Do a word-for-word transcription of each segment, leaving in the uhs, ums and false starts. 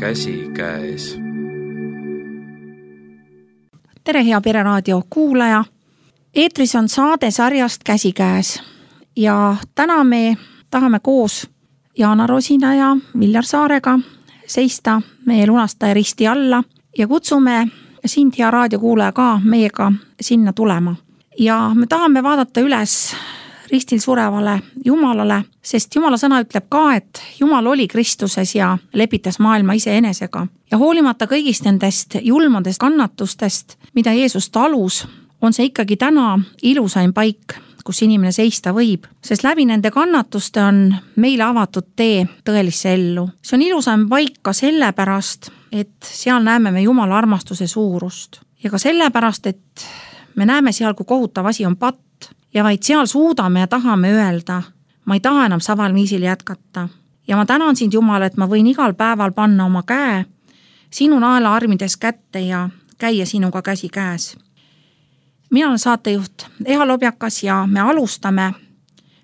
käsikäes. Tere, hea Pereraadio kuulaja! Eetris on saade sarjast Käsikäes ja täna me tahame koos Jaana Rosina ja Viljar Saarega seista meie lunastaja risti alla ja kutsume sind, hea raadiokuulaja, ka meiega sinna tulema. Ja me tahame vaadata üles ristil surevale Jumalale, sest Jumala sõna ütleb ka, et Jumal oli Kristuses ja lepitas maailma iseenesega. Ja hoolimata kõigist nendest julmadest kannatustest, mida Jeesus talus, on see ikkagi täna ilusaim paik, kus inimene seista võib, sest läbi nende kannatuste on meile avatud tee tõelisse ellu. See on ilusaim paik ka sellepärast, et seal näeme me Jumala armastuse suurust. Ja ka sellepärast, et me näeme seal, kui kohutav asi on patt, ja vaid seal suudame ja tahame öelda, ma ei taha enam saval viisil jätkata. Ja ma tänan sind, Jumal, et ma võin igal päeval panna oma käe sinu naela armides kätte ja käia sinuga käsi käes. Mina olen saatejuht Eha Lobjakas ja me alustame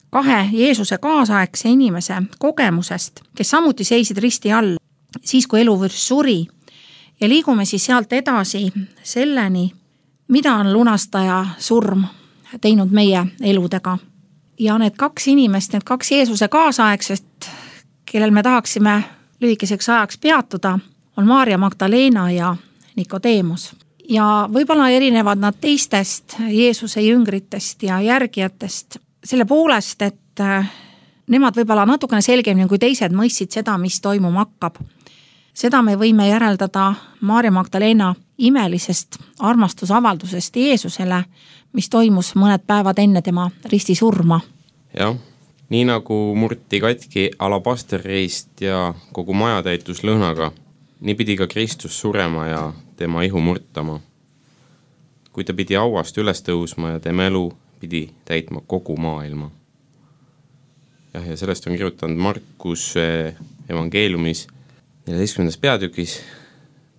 kahe Jeesuse kaasaegse inimese kogemusest, kes samuti seisid risti all siis, kui eluvürst suri. Ja liigume siis sealt edasi selleni, mida on lunastaja surm teinud meie eludega. Ja need kaks inimest, need kaks Jeesuse kaasaegsest, kellel me tahaksime lühikeseks ajaks peatuda, on Maarja Magdalena ja Nikodeemus. Ja võib-olla erinevad nad teistest Jeesuse jüngritest ja järgijatest selle poolest, et nemad võib-olla natukene selgemini kui teised mõistsid seda, mis toimuma hakkab. Seda me võime järeldada Maarja Magdalena imelisest armastusavaldusest Jeesusele, mis toimus mõned päevad enne tema risti surma. Jah, nii nagu murti katki alabasterreist ja kogu maja täitus lõhnaga, nii pidi ka Kristus surema ja tema ihu murtama. Kui ta pidi auast üles tõusma ja tema elu pidi täitma kogu maailma. Jah, ja sellest on kirjutanud Markus evangeeliumis neljateistkümnendas peatükis.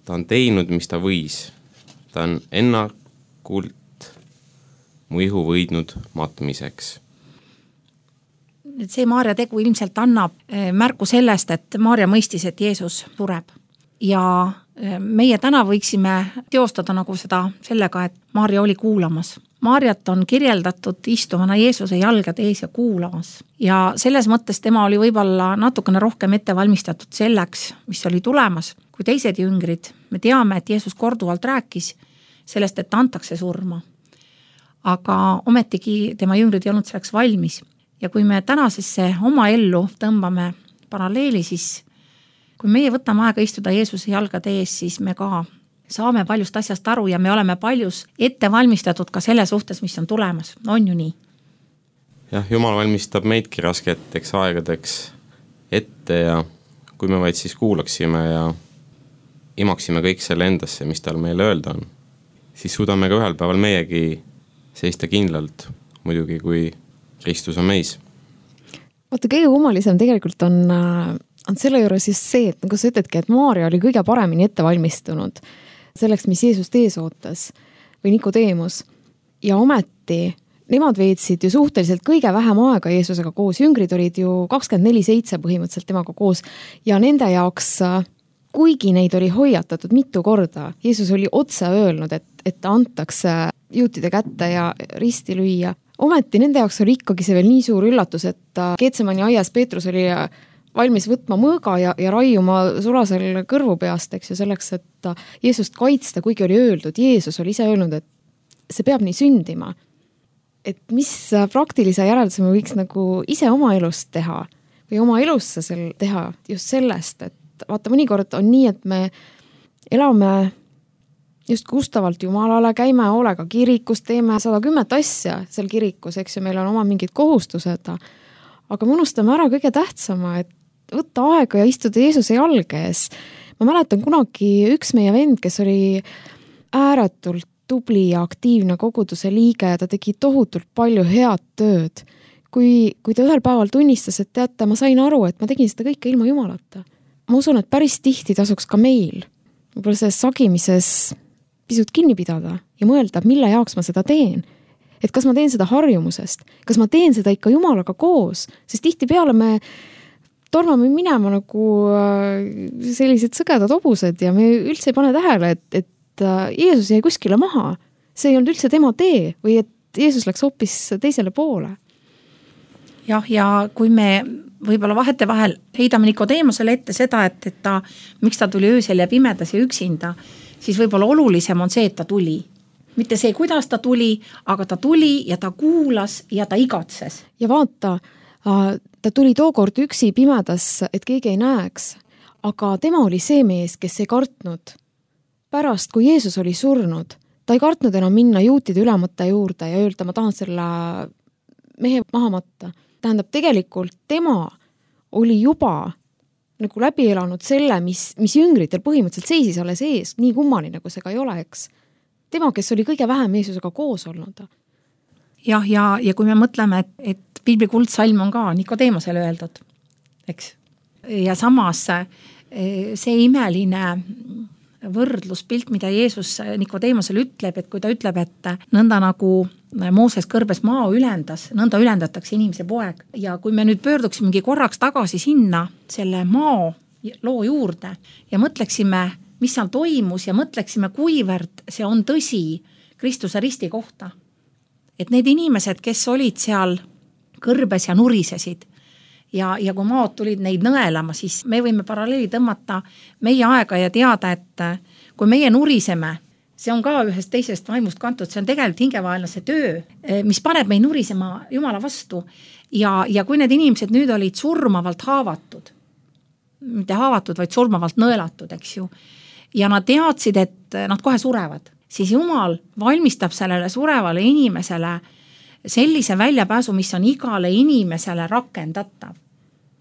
Ta on teinud, mis ta võis. Ta on ennakult mu ihu võidnud matmiseks. Et see Maarja tegu ilmselt annab märku sellest, et Maarja mõistis, et Jeesus sureb. Ja meie täna võiksime teostada nagu seda sellega, et Maarja oli kuulamas. Maarjat on kirjeldatud istuvana Jeesuse jalgade ees ja kuulamas. Ja selles mõttes tema oli võib-olla natukene rohkem ette valmistatud selleks, mis oli tulemas, kui teised jüngrid. Me teame, et Jeesus korduvalt rääkis sellest, et antakse surma. Aga ometigi tema jüngrid ei olnud selleks valmis. Ja kui me tänasesse oma ellu tõmbame paralleeli, siis kui meie võtame aega istuda Jeesuse jalgade ees, siis me ka saame paljust asjast aru ja me oleme paljus ette valmistatud ka selle suhtes, mis on tulemas. On ju nii? Jah, Jumal valmistab meidki rasketeks aegadeks ette ja kui me vaid siis kuulaksime ja imaksime kõik selle endasse, mis tal meile öelda on, siis suudame ka ühel päeval meiegi seista kindlalt, muidugi kui Kristus on meis. Vaata, kõige kummalisem tegelikult on, on selle juures just see, et nagu sa ütledki, et Maarja oli kõige paremini ette valmistunud selleks, mis Jeesust ees ootas või Nikodeemus. Ja ometi nemad veetsid ju suhteliselt kõige vähem aega Jeesusega koos. Jüngrid olid ju kakskümmend neli seitse põhimõtteliselt temaga koos ja nende jaoks, kuigi neid oli hoiatatud mitu korda, Jeesus oli otse öelnud, et, et ta antakse juutide kätte ja risti lüüa. Ometi nende jaoks oli ikkagi see veel nii suur üllatus, et Getsemani aias Peetrus oli valmis võtma mõõga ja, ja raiuma sulasel kõrvu peast, eks ju, selleks, et Jeesust kaitsta, kuigi oli öeldud, Jeesus oli ise öelnud, et see peab nii sündima. Et mis praktilise järelduse me võiks nagu ise oma elust teha või oma elusse sel teha just sellest, et vaata, mõnikord on nii, et me elame just kustavalt Jumalale, käime hoolega kirikus, teeme sada kümmet asja seal kirikus, eks ju, meil on oma mingid kohustused, aga me unustame ära kõige tähtsama, et võtta aega ja istuda Jeesuse jalge ees. Ma mäletan kunagi üks meie vend, kes oli ääretult tubli ja aktiivne koguduse liige ja ta tegi tohutult palju head tööd. Kui, kui ta ühel päeval tunnistas, et teate, ma sain aru, et ma tegin seda kõike ilma Jumalata. Ma usun, et päris tihti tasuks ka meil võib-olla selles sagimises pisut kinni pidada ja mõelda, mille jaoks ma seda teen. Et kas ma teen seda harjumusest, kas ma teen seda ikka Jumalaga koos, sest tihti peale me tormame minema nagu sellised sõgedad hobused ja me üldse ei pane tähele, et, et Jeesus jäi kuskile maha. See ei olnud üldse tema tee või et Jeesus läks hoopis teisele poole. Jah, ja kui me võib-olla vahete vahel heidame Nikodeemosele ette seda, et, et ta, miks ta tuli öösel ja pimedas ja üksinda, siis võib-olla olulisem on see, et ta tuli. Mitte see, kuidas ta tuli, aga ta tuli ja ta kuulas ja ta igatses. Ja vaata, ta tuli tookord üksi pimedas, et keegi ei näeks, aga tema oli see mees, kes ei kartnud. Pärast, kui Jeesus oli surnud, ta ei kartnud enam minna juutide ülemõtte juurde ja öelda, ma tahan selle mehe maha matta. Tähendab, tegelikult tema oli juba nagu läbi elanud selle, mis, mis jüngritel põhimõtteliselt seisis alles ees, nii kummaline, kui see ka ei ole, eks. Tema, kes oli kõige vähem Jeesusega koos olnud. Jah, ja, ja kui me mõtleme, et, et piibli kuldsalm on ka Nikodeemosele öeldud, eks. Ja samas see imeline võrdluspilt, mida Jeesus Nikodeemosele ütleb, et kui ta ütleb, et nõnda nagu Mooses kõrbes maa ülendas, nõnda ülendatakse inimese poeg. Ja kui me nüüd pöörduksimegi korraks tagasi sinna selle maa loo juurde ja mõtleksime, mis seal toimus ja mõtleksime, kuivõrd see on tõsi Kristuse risti kohta. Et need inimesed, kes olid seal kõrbes ja nurisesid ja, ja kui maad tulid neid nõelama, siis me võime paralleeli tõmmata meie aega ja teada, et kui meie nuriseme, see on ka ühest teisest vaimust kantud, see on tegelikult hingevaenlase töö, mis paneb meid nurisema Jumala vastu. Ja, ja kui need inimesed nüüd olid surmavalt haavatud, mitte haavatud, vaid surmavalt nõelatud, eks ju, ja nad teadsid, et nad kohe surevad, siis Jumal valmistab sellele surevale inimesele sellise väljapääsu, mis on igale inimesele rakendatav.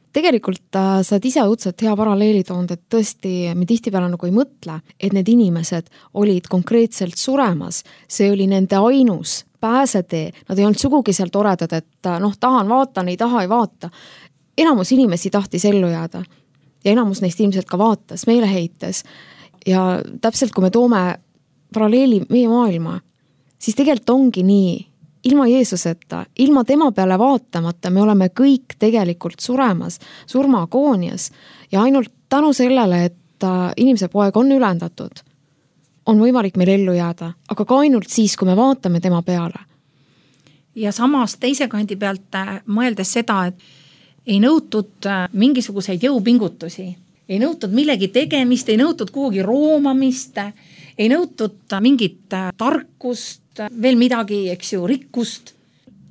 Tegelikult äh, sa ise õudselt hea paralleeli toond, et tõesti me tihtipeale nagu ei mõtle, et need inimesed olid konkreetselt suremas. See oli nende ainus pääsetee. Nad ei olnud sugugi seal toredad, et noh, tahan vaatan, ei taha, ei vaata. Enamus inimesi tahtis ellu jääda ja enamus neist ilmselt ka vaatas meeleheites. Ja täpselt kui me toome paralleeli meie maailma, siis tegelikult ongi nii, ilma Jeesuseta, ilma tema peale vaatamata me oleme kõik tegelikult suremas, surmaagoonias ja ainult tänu sellele, et inimese poeg on ülendatud, on võimalik meil ellu jääda, aga ka ainult siis, kui me vaatame tema peale. Ja samas teise kandi pealt mõeldes seda, et ei nõutud mingisuguseid jõupingutusi, ei nõutud millegi tegemist, ei nõutud kuhugi roomamist, ei nõutud mingit tarkust, veel midagi, eks ju, rikkust,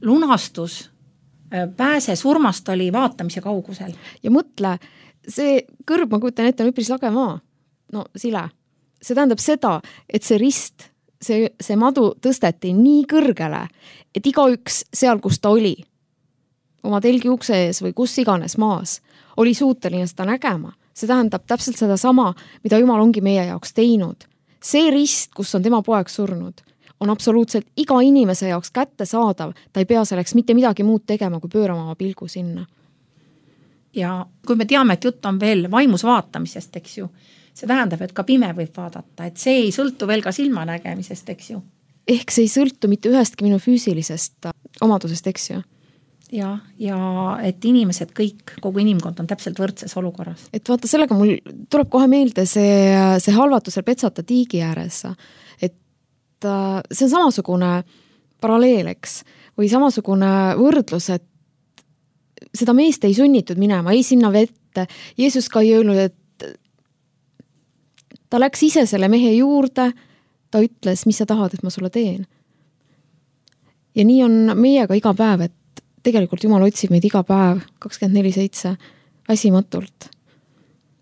lunastus, pääse surmast oli vaatamise kaugusel. Ja mõtle, see kõrb, ma kujutan ette, on üpris lage maa. No sile. See tähendab seda, et see rist, see, see madu tõsteti nii kõrgele, et igaüks seal, kus ta oli, oma telgi ukse ees või kus iganes maas, oli suuteline seda nägema. See tähendab täpselt seda sama, mida Jumal ongi meie jaoks teinud. See rist, kus on tema poeg surnud, on absoluutselt iga inimese jaoks kätte saadav, ta ei pea selleks mitte midagi muud tegema, kui pöörama oma pilgu sinna. Ja kui me teame, et jutt on veel vaimus vaatamisest, eks ju, see tähendab, et ka pime võib vaadata, et see ei sõltu veel ka silmanägemisest, eks ju. Ehk see ei sõltu mitte ühestki minu füüsilisest omadusest, eks ju. Ja, ja et inimesed kõik, kogu inimkond on täpselt võrdses olukorras. Et vaata, sellega mul tuleb kohe meelde see, see halvatusel petsata tiigi ääres, et see on samasugune paralleeleks või samasugune võrdlus, et seda meest ei sunnitud minema, ei sinna vette. Jeesus ka ei öelnud, et ta läks ise selle mehe juurde, ta ütles, mis sa tahad, et ma sulle teen. Ja nii on meiega iga päev, et tegelikult Jumal otsib meid iga päev kakskümmend neli seitse väsimatult.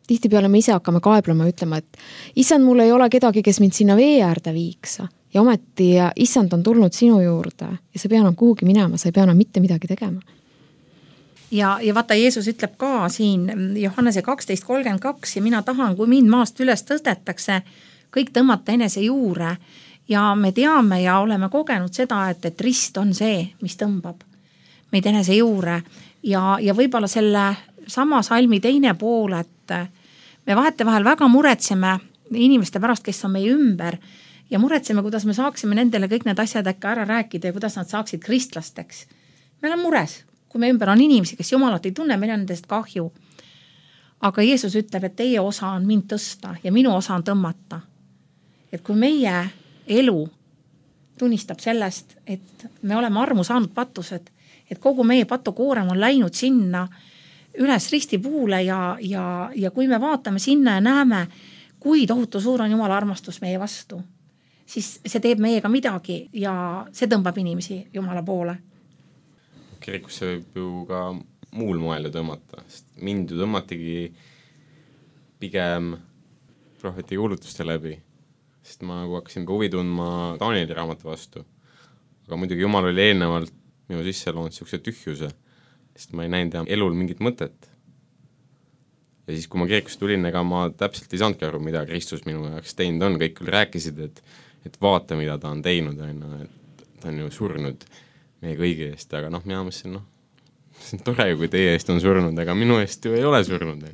Tihtipeale me ise hakkame kaeblema ja ütlema, et issand, mul ei ole kedagi, kes mind sinna vee äärde viiks. Ja ometi issand on tulnud sinu juurde ja sa pea enam kuhugi minema, sa ei pea enam mitte midagi tegema. Ja, ja vaata, Jeesus ütleb ka siin Johannese kaksteist kolmkümmend kaks ja mina tahan, kui mind maast üles tõstetakse, kõik tõmmata enese juure ja me teame ja oleme kogenud seda, et, et rist on see, mis tõmbab meid enese juure ja, ja võib-olla selle sama salmi teine pool, et me vahete vahel väga muretseme inimeste pärast, kes on meie ümber ja muretseme, kuidas me saaksime nendele kõik need asjad äkka ära rääkida ja kuidas nad saaksid kristlasteks. Me oleme mures, kui me ümber on inimesi, kes Jumalat ei tunne, meil on nendest kahju. aga Jeesus ütleb, et teie osa on mind tõsta ja minu osa on tõmmata. Et kui meie elu tunnistab sellest, et me oleme armu saanud patused, et kogu meie patukoorem on läinud sinna üles ristipuule ja, ja, ja kui me vaatame sinna ja näeme, kui tohutu suur on Jumala armastus meie vastu, siis see teeb meiega midagi ja see tõmbab inimesi Jumala poole. Kirikusse võib ju ka muul moel tõmmata, sest mind ju tõmmatigi pigem prohveti kuulutuste läbi, sest ma nagu hakkasin ka huvi tundma Danieli raamatu vastu. Aga muidugi Jumal oli eelnevalt minu sisse loonud siukse tühjuse, sest ma ei näinud elul mingit mõtet. Ja siis, kui ma kirikusse tulin, ega ma täpselt ei saanudki aru, mida Kristus minu jaoks teinud on. Kõik küll rääkisid, et, et vaata, mida ta on teinud, et ta on ju surnud meie kõigi eest, aga noh, mina mõtlesin, noh, see on tore, kui teie eest on surnud, aga minu eest ju ei ole surnud.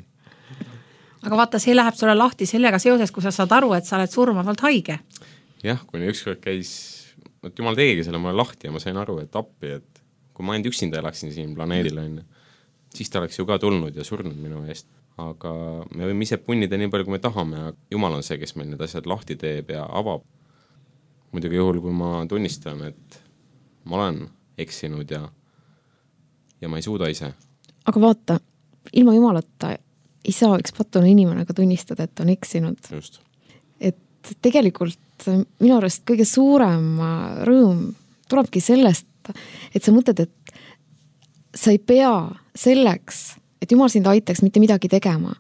Aga vaata, see läheb sulle lahti sellega seoses, kui sa saad aru, et sa oled surmavalt haige. Jah, kui ükskord käis, et Jumal tegigi selle mulle lahti ja ma sain aru, et appi, et kui ma ainult üksinda elaksin siin planeedil, siis ta oleks ju ka tulnud ja surnud minu eest. Aga me võime ise punnida nii palju, kui me tahame, aga Jumal on see, kes meil need asjad lahti teeb ja avab. Muidugi juhul, kui ma tunnistan, et ma olen eksinud ja, ja ma ei suuda ise. Aga vaata, ilma Jumalata ei saa üks patune inimene ka tunnistada, et on eksinud. Just. Et tegelikult minu arust kõige suurem rõõm tulebki sellest, et sa mõtled, et sa ei pea selleks, et Jumal sind aitaks mitte midagi tegema.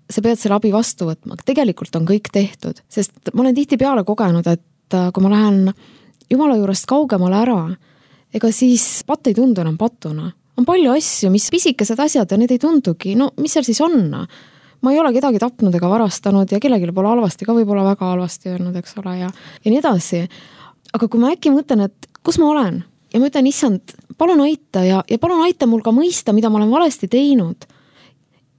Sa pead selle abi vastu võtma. Tegelikult on kõik tehtud, sest ma olen tihti peale kogenud, et kui ma lähen Jumala juurest kaugemale ära, ega siis patt ei tundu enam patuna. On palju asju, mis pisikesed asjad ja need ei tundugi. No mis seal siis on? Ma ei ole kedagi tapnud ega varastanud ja kellelegi pole halvasti ka võib-olla väga halvasti öelnud, eks ole, ja, ja nii edasi. Aga kui ma äkki mõtlen, et kus ma olen ja ma ütlen, issand, palun aita ja, ja palun aita mul ka mõista, mida ma olen valesti teinud.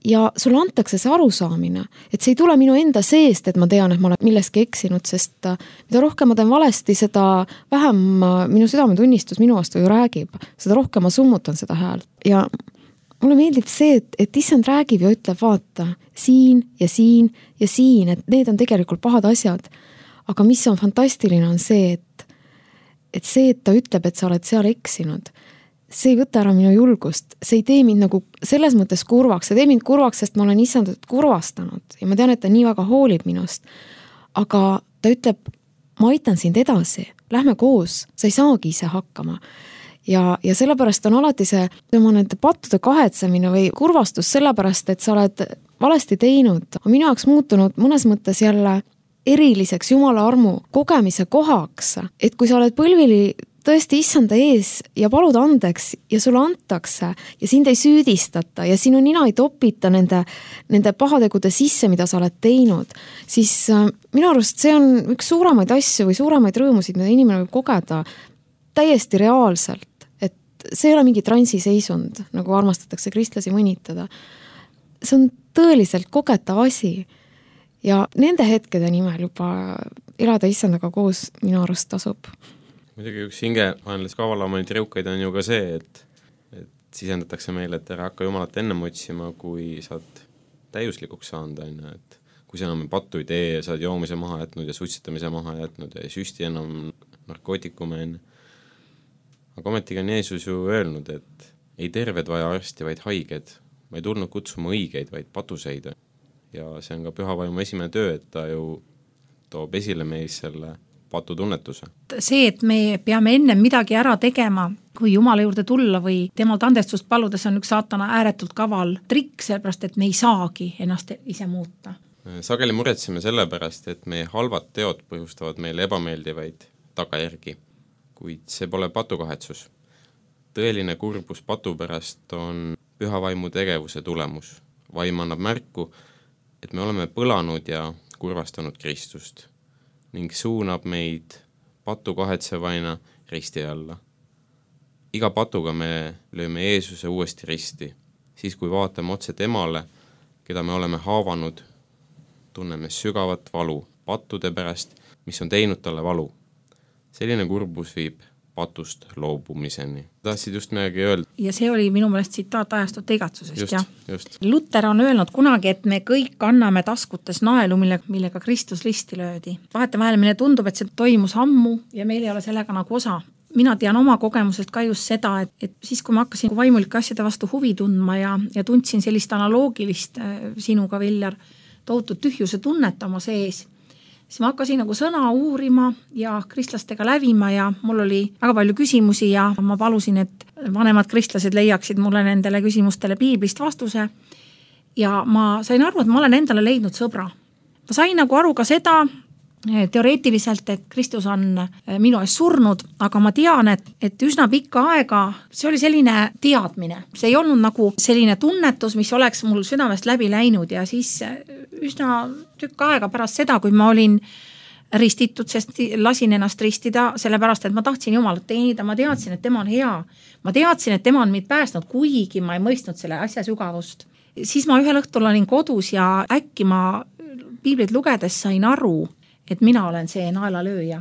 Ja sulle antakse see arusaamine, et see ei tule minu enda seest, et ma tean, et ma olen milleski eksinud, sest mida rohkem ma teen valesti, seda vähem minu südametunnistus minu vastu ju räägib. Seda rohkem ma summutan seda häält. Ja mulle meeldib see, et, et issand räägib ja ütleb, vaata, siin ja siin ja siin, et need on tegelikult pahad asjad. Aga mis on fantastiline, on see, et, et see, et ta ütleb, et sa oled seal eksinud, see ei võta ära minu julgust, see ei tee mind nagu selles mõttes kurvaks, see tee mind kurvaks, sest ma olen issandat kurvastanud ja ma tean, et ta nii väga hoolib minust. Aga ta ütleb, ma aitan sind edasi, lähme koos, sa ei saagi ise hakkama. Ja, ja sellepärast on alati see, ma nende pattude kahetsemine või kurvastus sellepärast, et sa oled valesti teinud, on minu jaoks muutunud mõnes mõttes jälle eriliseks Jumala armu kogemise kohaks, et kui sa oled põlvili tõesti issanda ees ja palud andeks ja sulle antakse ja sind ei süüdistata ja sinu nina ei topita nende, nende pahategude sisse, mida sa oled teinud, siis minu arust see on üks suuremaid asju või suuremaid rõõmusid, mida inimene võib kogeda täiesti reaalselt, et see ei ole mingi transiseisund, nagu armastatakse kristlasi mõnitada. See on tõeliselt kogetav asi ja nende hetkede nimel juba elada issandaga koos minu arust tasub. Muidugi üks hinge vaenlas kavalamaid rõukaid on ju ka see, et, et sisendatakse meile, et ära hakka Jumalat ennem otsima, kui saad täiuslikuks saanud. Et kui sa enam pattu ei tee ja saad joomise maha jätnud ja suitsetamise maha jätnud ja ei süsti enam narkootikume enne. Aga ometigi on Jeesus ju öelnud, et ei terved vaja arsti, vaid haiged. Ma ei tulnud kutsuma õigeid, vaid patuseid. Ja see on ka pühavaimu esimene töö, et ta ju toob esile meis selle patutunnetuse. See, et me peame enne midagi ära tegema, kui Jumala juurde tulla või temalt andestust paludes, on üks saatana ääretult kaval trikk, sellepärast, et me ei saagi ennast ise muuta. Sageli muretseme sellepärast, et meie halvad teod põhjustavad meile ebameeldivaid tagajärgi, kuid see pole patukahetsus. Tõeline kurbus patu pärast on pühavaimu tegevuse tulemus. Vaim annab märku, et me oleme põlanud ja kurvastanud Kristust ning suunab meid patu kahetsevaina risti alla. Iga patuga me lööme Jeesuse uuesti risti, siis kui vaatame otse temale, keda me oleme haavanud, tunneme sügavat valu pattude pärast, mis on teinud talle valu. Selline kurbus viib patust loobumiseni. Tahtsid just midagi öelda? Ja see oli minu meelest tsitaat ajastute igatsusest, just, jah. Just. Luter on öelnud kunagi, et me kõik anname taskutes naelu, mille, millega Kristus risti löödi. Vahetevahel meile tundub, et see toimus ammu ja meil ei ole sellega nagu osa. Mina tean oma kogemusest ka just seda, et, et siis kui ma hakkasin vaimulike asjade vastu huvi tundma ja, ja tundsin sellist analoogilist sinuga, Viljar, tohutut tühjuse tunnet oma sees, siis ma hakkasin nagu sõna uurima ja kristlastega lävima ja mul oli väga palju küsimusi ja ma palusin, et vanemad kristlased leiaksid mulle nendele küsimustele piiblist vastuse. Ja ma sain aru, et ma olen endale leidnud sõbra. Ma sain nagu aru ka seda teoreetiliselt, et Kristus on minu ees surnud, aga ma tean, et, et üsna pikka aega see oli selline teadmine. See ei olnud nagu selline tunnetus, mis oleks mul südamest läbi läinud ja siis üsna tükk aega pärast seda, kui ma olin ristitud, sest lasin ennast ristida, sellepärast, et ma tahtsin Jumalat teenida, ma teadsin, et tema on hea. Ma teadsin, et tema on mind päästnud, kuigi ma ei mõistnud selle asja sügavust. Siis ma ühel õhtul olin kodus ja äkki ma piiblit lugedes sain aru, et mina olen see naelalööja.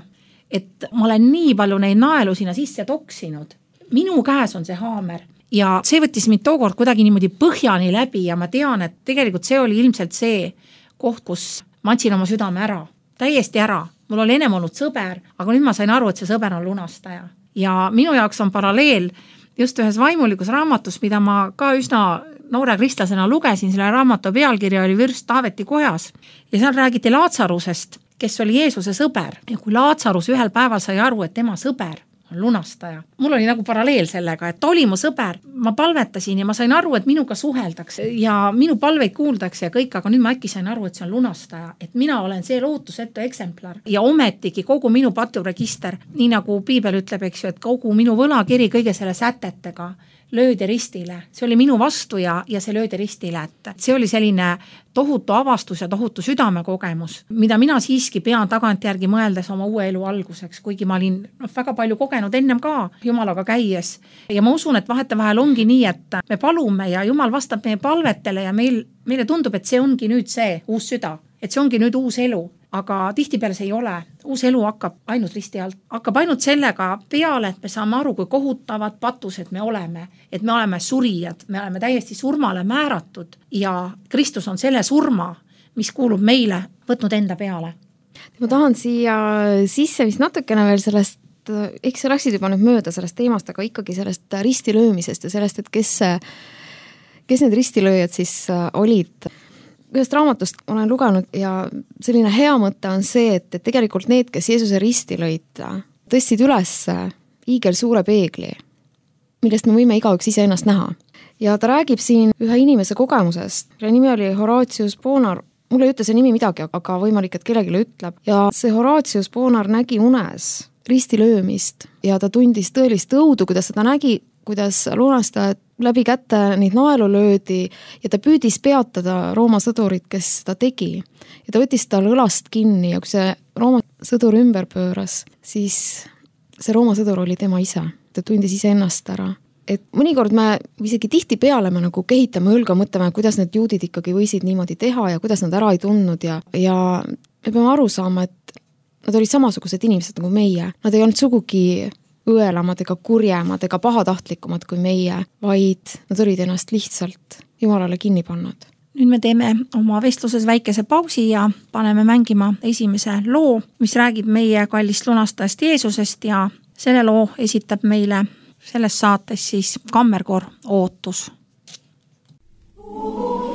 Et ma olen nii palju neid naelu sinna sisse toksinud. Minu käes on see haamer. Ja see võttis mind tookord kuidagi niimoodi põhjani läbi ja ma tean, et tegelikult see oli ilmselt see koht, kus ma andsin oma südame ära. Täiesti ära. Mul oli ennem olnud sõber, aga nüüd ma sain aru, et see sõber on lunastaja. Ja minu jaoks on paralleel just ühes vaimulikus raamatus, mida ma ka üsna noore kristlasena lugesin, selle raamatu pealkirja oli Vürst Taaveti kojas. Ja seal räägiti Laatsarusest, kes oli Jeesuse sõber. Ja kui Laatsarus ühel päeval sai aru, et tema sõber on lunastaja. Mul oli nagu paralleel sellega, et ta oli mu sõber. Ma palvetasin ja ma sain aru, et minuga suheldakse ja minu palveid kuuldakse ja kõik, aga nüüd ma äkki sain aru, et see on lunastaja. Et mina olen see lootusetu eksemplar ja ometigi kogu minu paturegister, nii nagu piibel ütleb, eks ju, et kogu minu võlakiri kõige selle sätetega löödi ristile. See oli minu vastu ja, ja see löödi ristile. Et see oli selline tohutu avastus ja tohutu südamekogemus, mida mina siiski pean tagantjärgi mõeldes oma uue elu alguseks, kuigi ma olin no, väga palju kogenud ennem ka Jumalaga käies. Ja ma usun, et vahetevahel ongi nii, et me palume ja Jumal vastab meie palvetele ja meil, meile tundub, et see ongi nüüd see uus süda, et see ongi nüüd uus elu. Aga tihtipeale see ei ole. Uus elu hakkab ainult risti alt. Hakkab ainult sellega peale, et me saame aru, kui kohutavad patused me oleme. Et me oleme surijad, me oleme täiesti surmale määratud ja Kristus on selle surma, mis kuulub meile, võtnud enda peale. Ma tahan siia sisse vist natukene veel sellest, eks sa läksid juba nüüd mööda sellest teemast, aga ikkagi sellest ristilöömisest ja sellest, et kes, kes need ristilööjad siis olid. Ühest raamatust olen lugenud ja selline hea mõte on see, et tegelikult need, kes Jeesuse risti lõid, tõstsid üles hiigel suure peegli, millest me võime igaüks ise ennast näha. Ja ta räägib siin ühe inimese kogemusest. Ja nimi oli Horatius Bonar. Mulle ei ütle see nimi midagi, aga võimalik, et kellelegi ütleb. Ja see Horatius Bonar nägi unes risti löömist ja ta tundis tõelist õudu, kuidas ta nägi, kuidas lunastajad läbi kätte neid naelu löödi ja ta püüdis peatada Rooma sõdurit, kes seda tegi. Ja ta võttis tal õlast kinni ja kui see Rooma sõdur ümber pööras, siis see Rooma sõdur oli tema ise. Ta tundis ise ennast ära. Et mõnikord me isegi tihti peale me nagu kehitame õlga, mõtleme, kuidas need juudid ikkagi võisid niimoodi teha ja kuidas nad ära ei tundnud ja, ja me peame aru saama, et nad olid samasugused inimesed nagu meie. Nad ei olnud sugugi õelamad ega kurjemad ega pahatahtlikumad kui meie, vaid nad olid ennast lihtsalt Jumalale kinni pannud. Nüüd me teeme oma vestluses väikese pausi ja paneme mängima esimese loo, mis räägib meie kallist lunastajast Jeesusest ja selle loo esitab meile selles saates siis kammerkoor Ootus. Oh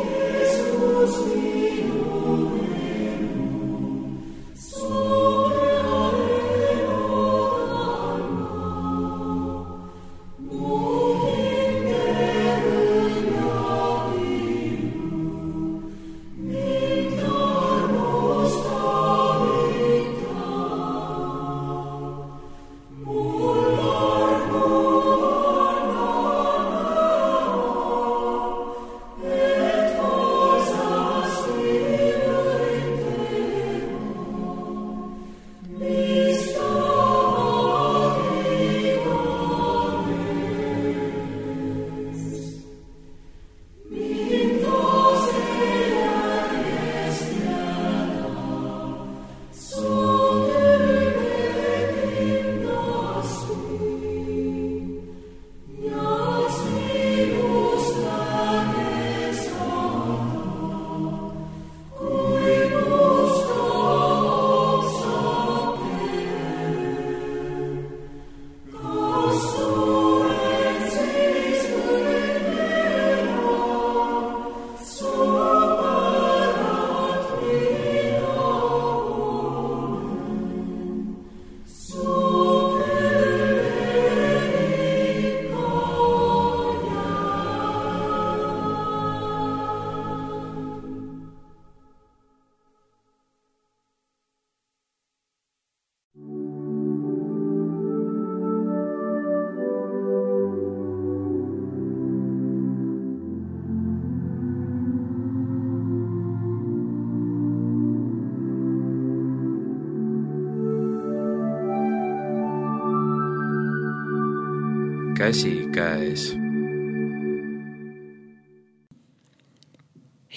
käsikäes.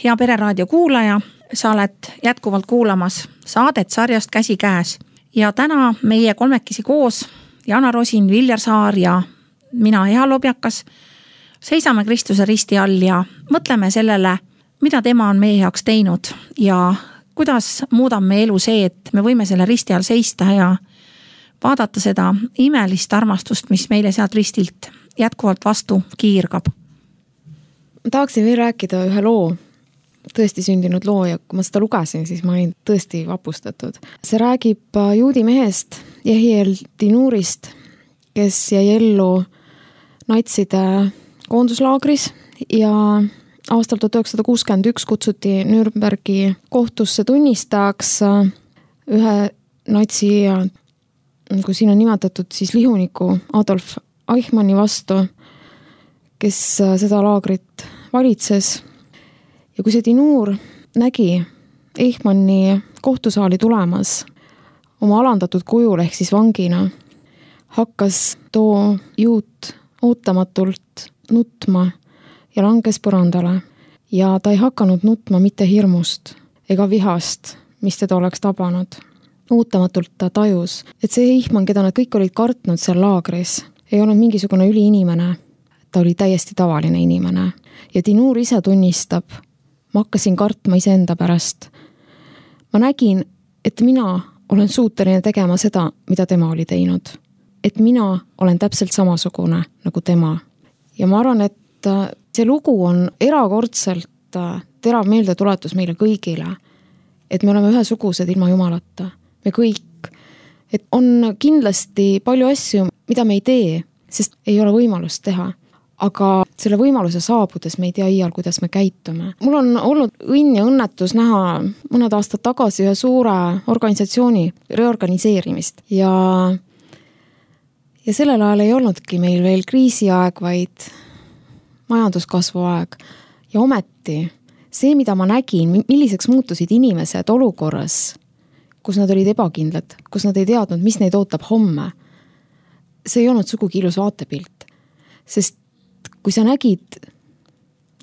Hea Pereraadio kuulaja, sa oled jätkuvalt kuulamas saadet sarjast Käsikäes ja täna meie kolmekesi koos, Jana Rosin, Viljar Saar ja mina, Eha Lobjakas, seisame Kristuse risti all ja mõtleme sellele, mida tema on meie heaks teinud ja kuidas muudab meie elu see, et me võime selle risti all seista ja vaadata seda imelist armastust, mis meile sealt ristilt jätkuvalt vastu kiirgab. Ma tahaksin veel rääkida ühe loo, tõesti sündinud loo ja kui ma seda lugesin, siis ma olin tõesti vapustatud. See räägib juudi mehest Jehiel Dinurist, kes jäi ellu natside koonduslaagris ja aastal tuhat üheksasada kuuskümmend üks kutsuti Nürnbergi kohtusse tunnistajaks ühe natsi, kui siin on nimetatud siis lihuniku Adolf Eichmanni vastu, kes seda laagrit valitses. Ja kui see Dinur nägi Eichmanni kohtusaali tulemas oma alandatud kujul ehk siis vangina, hakkas too juut ootamatult nutma ja langes põrandale. Ja ta ei hakanud nutma mitte hirmust ega vihast, mis teda oleks tabanud. Ootamatult ta tajus, et see Eichmann, keda nad kõik olid kartnud seal laagris, ei olnud mingisugune üliinimene. Ta oli täiesti tavaline inimene. Ja Dinur ise tunnistab, ma hakkasin kartma iseenda pärast. Ma nägin, et mina olen suuteline tegema seda, mida tema oli teinud. Et mina olen täpselt samasugune nagu tema. Ja ma arvan, et see lugu on erakordselt terav meeldetuletus meile kõigile, et me oleme ühesugused ilma Jumalata. Me kõik. Et on kindlasti palju asju, mida me ei tee, sest ei ole võimalust teha. Aga selle võimaluse saabudes me ei tea iial, kuidas me käitume. Mul on olnud õnn ja õnnetus näha mõned aastad tagasi ühe suure organisatsiooni reorganiseerimist. Ja, ja sellel ajal ei olnudki meil veel kriisiaeg, vaid majanduskasvu aeg. Ja ometi see, mida ma nägin, milliseks muutusid inimesed olukorras, kus nad olid ebakindlad, kus nad ei teadnud, mis neid ootab homme, see ei olnud sugugi ilus vaatepilt. Sest kui sa nägid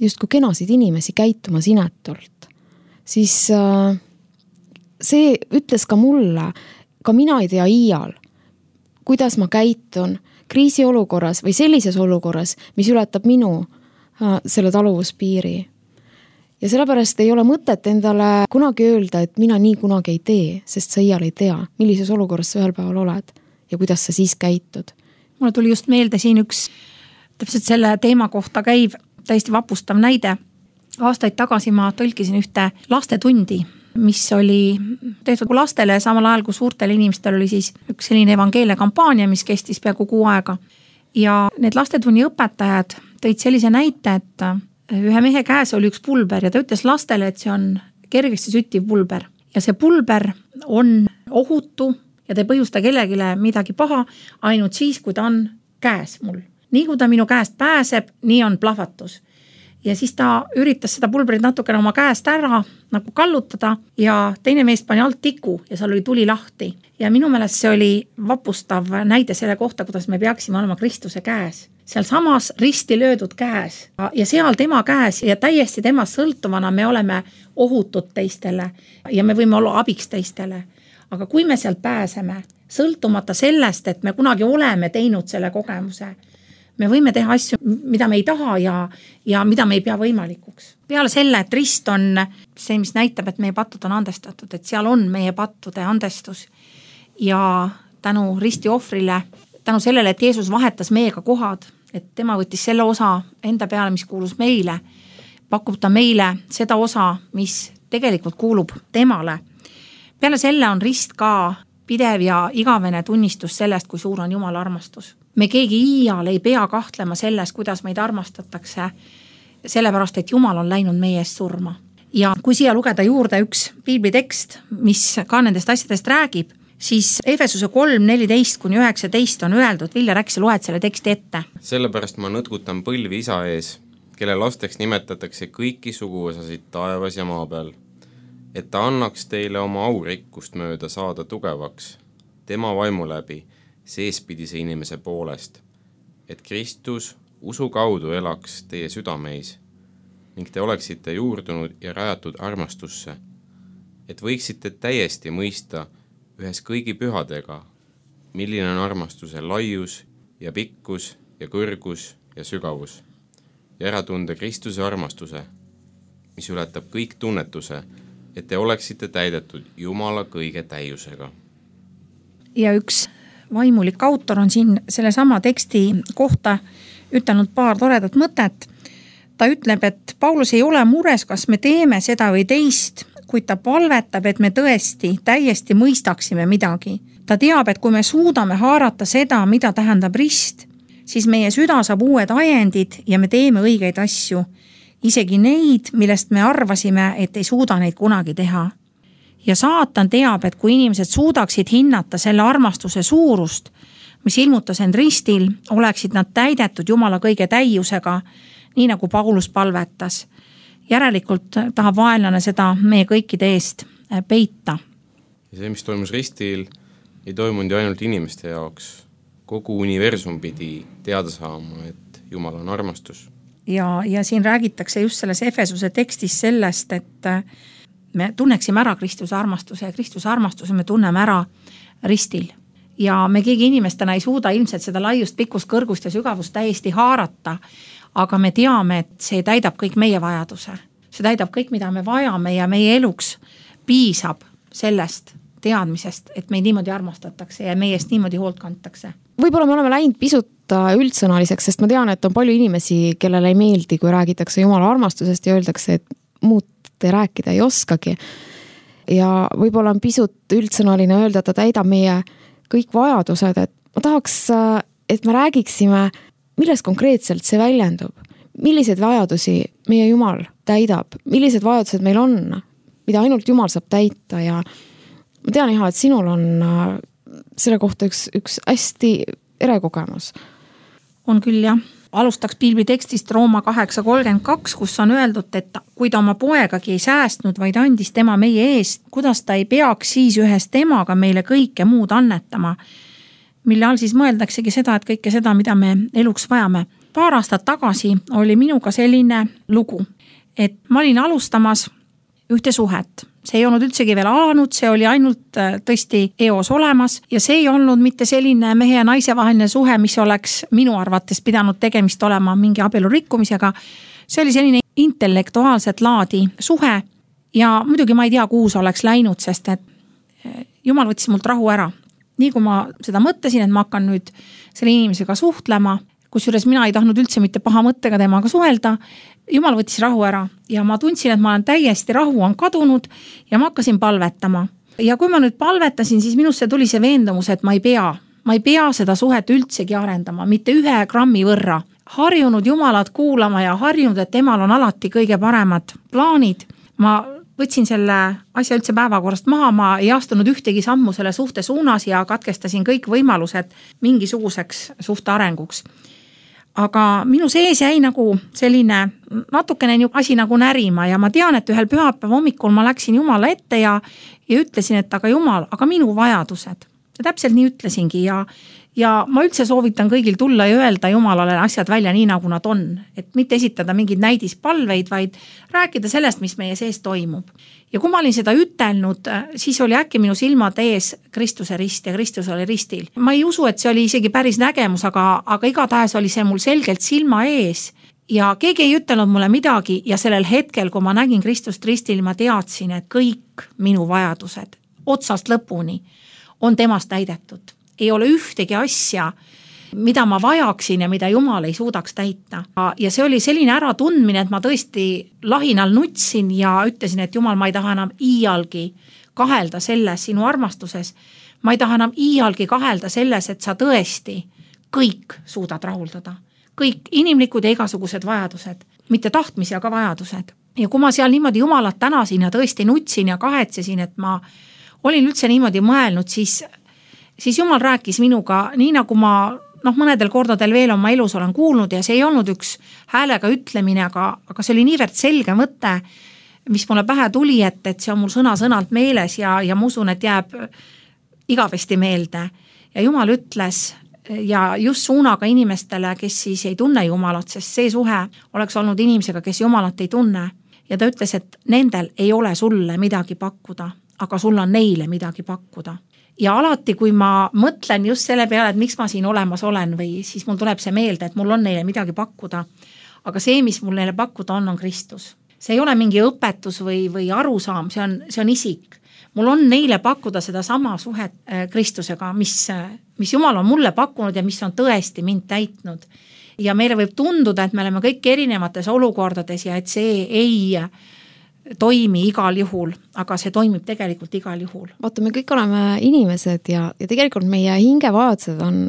just kui kenasid inimesi käitumas inetult, siis see ütles ka mulle, ka mina ei tea iial, kuidas ma käitun kriisiolukorras või sellises olukorras, mis ületab minu selle taluvuspiiri. Ja sellepärast ei ole mõtet endale kunagi öelda, et mina nii kunagi ei tee, sest sa iial ei tea, millises olukorras sa ühel päeval oled ja kuidas sa siis käitud. Mulle tuli just meelde siin üks täpselt selle teema kohta käiv täiesti vapustav näide. Aastaid tagasi ma tõlkisin ühte lastetundi, mis oli tehtud lastele samal ajal kui suurtel inimestel oli siis üks selline evangeelia kampaania, mis kestis peaaegu kuu aega. Ja need lastetunni õpetajad tõid sellise näite, et ühe mehe käes oli üks pulber ja ta ütles lastele, et see on kergesti süttiv pulber. Ja see pulber on ohutu ja ta ei põhjusta kellegile midagi paha ainult siis, kui ta on käes mul. Nii kui ta minu käest pääseb, nii on plahvatus. Ja siis ta üritas seda pulbrit natukene oma käest ära nagu kallutada ja teine meest pani alt tiku ja seal oli tuli lahti. Ja minu meelest see oli vapustav näide selle kohta, kuidas me peaksime olema Kristuse käes. Seal samas risti löödud käes ja seal tema käes ja täiesti temast sõltuvana me oleme ohutud teistele ja me võime olla abiks teistele. Aga kui me sealt pääseme, sõltumata sellest, et me kunagi oleme teinud selle kogemuse, me võime teha asju, mida me ei taha ja, ja mida me ei pea võimalikuks. Peale selle, et rist on see, mis näitab, et meie pattud on andestatud, et seal on meie pattude andestus ja tänu risti ohvrile, tänu sellele, et Jeesus vahetas meiega kohad, et tema võttis selle osa enda peale, mis kuulus meile, pakub ta meile seda osa, mis tegelikult kuulub temale. Peale selle on rist ka pidev ja igavene tunnistus sellest, kui suur on Jumala armastus. Me keegi iial ei pea kahtlema selles, kuidas meid armastatakse, sellepärast, et Jumal on läinud meie eest surma. Ja kui siia lugeda juurde üks piiblitekst, mis ka nendest asjadest räägib, siis Efesuse kolm neliteist kuni üheksateist on öeldud, Viljar, äkki sa loed selle teksti ette? Sellepärast ma nõtkutan põlvi isa ees, kelle lasteks nimetatakse kõiki suguvõsasid taevas ja maa peal, et ta annaks teile oma aurikkust mööda saada tugevaks, tema vaimu läbi, seespidise inimese poolest, et Kristus usu kaudu elaks teie südameis ning te oleksite juurdunud ja rajatud armastusse, et võiksite täiesti mõista ühes kõigi pühadega, milline on armastuse laius ja pikkus ja kõrgus ja sügavus ja ära tunda Kristuse armastuse, mis ületab kõik tunnetuse, et te oleksite täidetud Jumala kõige täiusega. Ja üks vaimulik autor on siin selle sama teksti kohta ütelnud paar toredat mõtet. Ta ütleb, et Paulus ei ole mures, kas me teeme seda või teist, kuid ta palvetab, et me tõesti täiesti mõistaksime midagi. Ta teab, et kui me suudame haarata seda, mida tähendab rist, siis meie süda saab uued ajendid ja me teeme õigeid asju. Isegi neid, millest me arvasime, et ei suuda neid kunagi teha. Ja saatan teab, et kui inimesed suudaksid hinnata selle armastuse suurust, mis ilmutas end ristil, oleksid nad täidetud Jumala kõige täiusega, nii nagu Paulus palvetas. Järelikult tahab vaenlane seda meie kõikide eest peita. Ja see, mis toimus ristil, ei toimunud ju ainult inimeste jaoks. Kogu universum pidi teada saama, et Jumal on armastus. Ja, ja siin räägitakse just selles Efesuse tekstis sellest, et me tunneksime ära Kristuse armastuse ja Kristuse armastuse me tunneme ära ristil. Ja me keegi inimestena ei suuda ilmselt seda laiust, pikkust, kõrgust ja sügavust täiesti haarata, aga me teame, et see täidab kõik meie vajaduse. See täidab kõik, mida me vajame ja meie eluks piisab sellest teadmisest, et meid niimoodi armastatakse ja meie eest niimoodi hoolt kantakse. Võib-olla me oleme läinud pisut üldsõnaliseks, sest ma tean, et on palju inimesi, kellele ei meeldi, kui räägitakse Jumala armastusest ja öeldakse, et muud te rääkida ei oskagi. Ja võib-olla on pisut üldsõnaline öelda, et ta täidab meie kõik vajadused, et ma tahaks, et me räägiksime, milles konkreetselt see väljendub, milliseid vajadusi meie Jumal täidab, millised vajadused meil on, mida ainult Jumal saab täita ja ma tean, Iha, et sinul on selle kohta üks, üks hästi erekogemus. On küll jah. Alustaks piibli tekstist Rooma kaheksa kolmkümmend kaks, kus on öeldud, et kui ta oma poegagi ei säästnud, vaid andis tema meie eest, kuidas ta ei peaks siis ühes temaga meile kõike muud annetama, mille all siis mõeldaksegi seda, et kõike seda, mida me eluks vajame. Paar aastat tagasi oli minuga selline lugu, et ma olin alustamas ühte suhet. See ei olnud üldsegi veel alanud, see oli ainult tõesti eos olemas ja see ei olnud mitte selline mehe ja naise vaheline suhe, mis oleks minu arvates pidanud tegemist olema mingi abielu rikkumisega. See oli selline intellektuaalset laadi suhe ja muidugi ma ei tea, kuhu see oleks läinud, sest et Jumal võttis mult rahu ära. Nii kui ma seda mõtlesin, et ma hakkan nüüd selle inimesega suhtlema, kusjuures mina ei tahtnud üldse mitte paha mõttega temaga suhelda, Jumal võttis rahu ära ja ma tundsin, et ma olen täiesti rahu on kadunud ja ma hakkasin palvetama. Ja kui ma nüüd palvetasin, siis minusse tuli see veendumus, et ma ei pea, ma ei pea seda suhet üldsegi arendama, mitte ühe grammi võrra. Harjunud Jumalat kuulama ja harjunud, et temal on alati kõige paremad plaanid. Ma võtsin selle asja üldse päevakorrast maha, ma ei astunud ühtegi sammu selle suhte suunas ja katkestasin kõik võimalused mingisuguseks suhte arenguks. Aga minu sees jäi nagu selline natukene asi nagu närima ja ma tean, et ühel pühapäeva hommikul ma läksin Jumala ette ja, ja ütlesin, et aga Jumal, aga minu vajadused. Ja täpselt nii ütlesingi ja, ja ma üldse soovitan kõigil tulla ja öelda Jumalale asjad välja nii, nagu nad on. Et mitte esitada mingeid näidispalveid, vaid rääkida sellest, mis meie sees toimub. Ja kui ma olin seda ütelnud, siis oli äkki minu silmad ees Kristuse rist ja Kristus oli ristil. Ma ei usu, et see oli isegi päris nägemus, aga, aga igatahes oli see mul selgelt silma ees ja keegi ei ütelnud mulle midagi ja sellel hetkel, kui ma nägin Kristust ristil, ma teadsin, et kõik minu vajadused otsast lõpuni on temast täidetud. Ei ole ühtegi asja, mida ma vajaksin ja mida Jumal ei suudaks täita. Ja see oli selline äratundmine, et ma tõesti lahinal nutsin ja ütlesin, et Jumal, ma ei taha enam iialgi kahelda selles sinu armastuses. Ma ei taha enam iialgi kahelda selles, et sa tõesti kõik suudad rahuldada. Kõik inimlikud ja igasugused vajadused, mitte tahtmisi, aga vajadused. Ja kui ma seal niimoodi Jumalat tänasin ja tõesti nutsin ja kahetsesin, et ma olin üldse niimoodi mõelnud, siis, siis Jumal rääkis minuga nii, nagu ma noh, mõnedel kordadel veel oma elus olen kuulnud ja see ei olnud üks häälega ütlemine, aga, aga see oli niivõrd selge mõte, mis mulle pähe tuli, et, et see on mul sõna-sõnalt meeles ja, ja ma usun, et jääb igavesti meelde. Ja Jumal ütles, ja just suunaga inimestele, kes siis ei tunne Jumalat, sest see suhe oleks olnud inimesega, kes Jumalat ei tunne. Ja ta ütles, et nendel ei ole sulle midagi pakkuda, aga sul on neile midagi pakkuda. Ja alati, kui ma mõtlen just selle peale, et miks ma siin olemas olen või siis mul tuleb see meelde, et mul on neile midagi pakkuda, aga see, mis mul neile pakkuda on, on Kristus. See ei ole mingi õpetus või, või arusaam, see on, see on isik. Mul on neile pakkuda seda sama suhet Kristusega, mis, mis Jumal on mulle pakkunud ja mis on tõesti mind täitnud. Ja meile võib tunduda, et me oleme kõik erinevates olukordades ja et see ei toimi igal juhul, aga see toimib tegelikult igal juhul. Vaata, me kõik oleme inimesed ja, ja tegelikult meie hingevajadused on,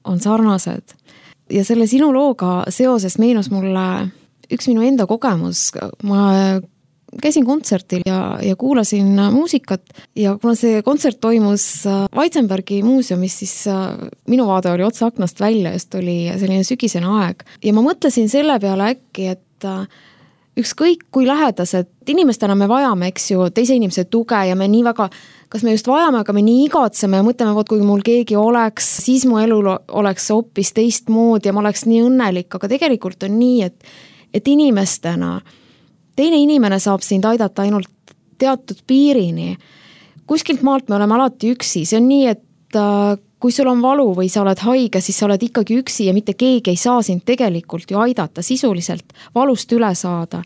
on sarnased. Ja selle sinu looga seoses meenus mulle üks minu enda kogemus. Ma käisin kontsertil ja, ja kuulasin muusikat ja kuna see kontsert toimus Weitzenbergi muuseumis, siis minu vaade oli otsa aknast välja, just oli selline sügisene aeg. Ja ma mõtlesin selle peale äkki, et ükskõik kui lähedased inimestena me vajame, eks ju, teise inimese tuge ja me nii väga, kas me just vajame, aga me nii igatseme ja mõtleme, võt, kui mul keegi oleks, siis mu elu oleks hoopis teistmoodi ja ma oleks nii õnnelik, aga tegelikult on nii, et, et inimestena teine inimene saab sind aidata ainult teatud piirini. Kuskilt maalt me oleme alati üksi. See on nii, et kui sul on valu või sa oled haige, siis sa oled ikkagi üksi ja mitte keegi ei saa sind tegelikult ju aidata sisuliselt valust üle saada.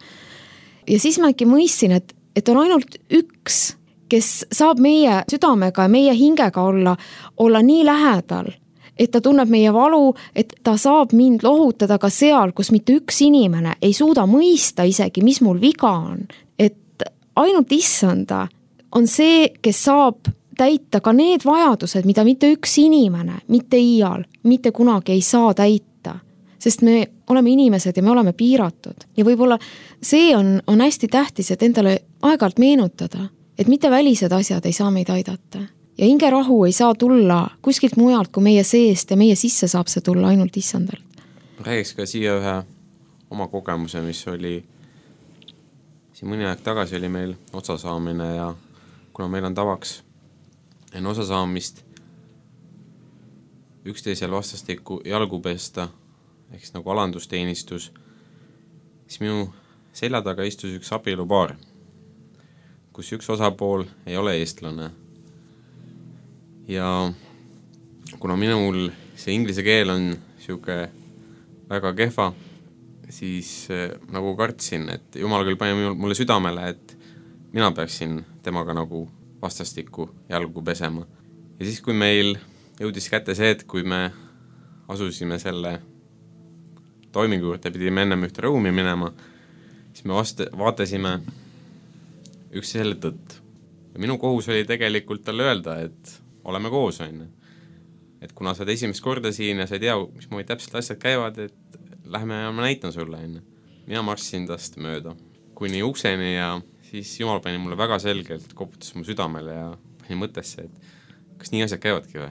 Ja siis ma äkki mõistsin, et, et on ainult üks, kes saab meie südamega ja meie hingega olla, olla nii lähedal, et ta tunneb meie valu, et ta saab mind lohutada ka seal, kus mitte üks inimene ei suuda mõista isegi, mis mul viga on. Et ainult issanda on see, kes saab täita ka need vajadused, mida mitte üks inimene, mitte iial, mitte kunagi ei saa täita. Sest me oleme inimesed ja me oleme piiratud. Ja võib-olla see on, on hästi tähtis, et endale aeg-ajalt meenutada, et mitte välised asjad ei saa meid aidata. Ja hingerahu ei saa tulla kuskilt mujalt, kui meie seest ja meie sisse saab see tulla ainult issandalt. Räägiks ka siia ühe oma kogemuse, mis oli siin mõni aeg tagasi oli meil otsasaamine ja kuna meil on tavaks enne osasaamist üksteisel vastastikku jalgu pesta, ehk nagu alandusteenistus, siis minu selja taga istus üks abielupaar, kus üks osapool ei ole eestlane. Ja kuna minul see inglise keel on siuke väga kehva, siis nagu kartsin, et Jumal küll pani mulle südamele, et mina peaksin temaga nagu vastastikku jalgu pesema. Ja siis, kui meil jõudis kätte see, et kui me asusime selle toimingu juurde, pidime ennem ühte ruumi minema, siis me vast- vaatasime üksteisele tõtt. Ja minu kohus oli tegelikult talle öelda, et oleme koos, on. Et kuna sa oled esimest korda siin ja sa ei tea, mis moodi täpselt asjad käivad, et lähme ja ma näitan sulle, on. Mina marssisin tast mööda kuni ukseni ja siis Jumal pani mulle väga selgelt, koputas mu südamele ja pani mõttesse, et kas nii asjad käivadki või?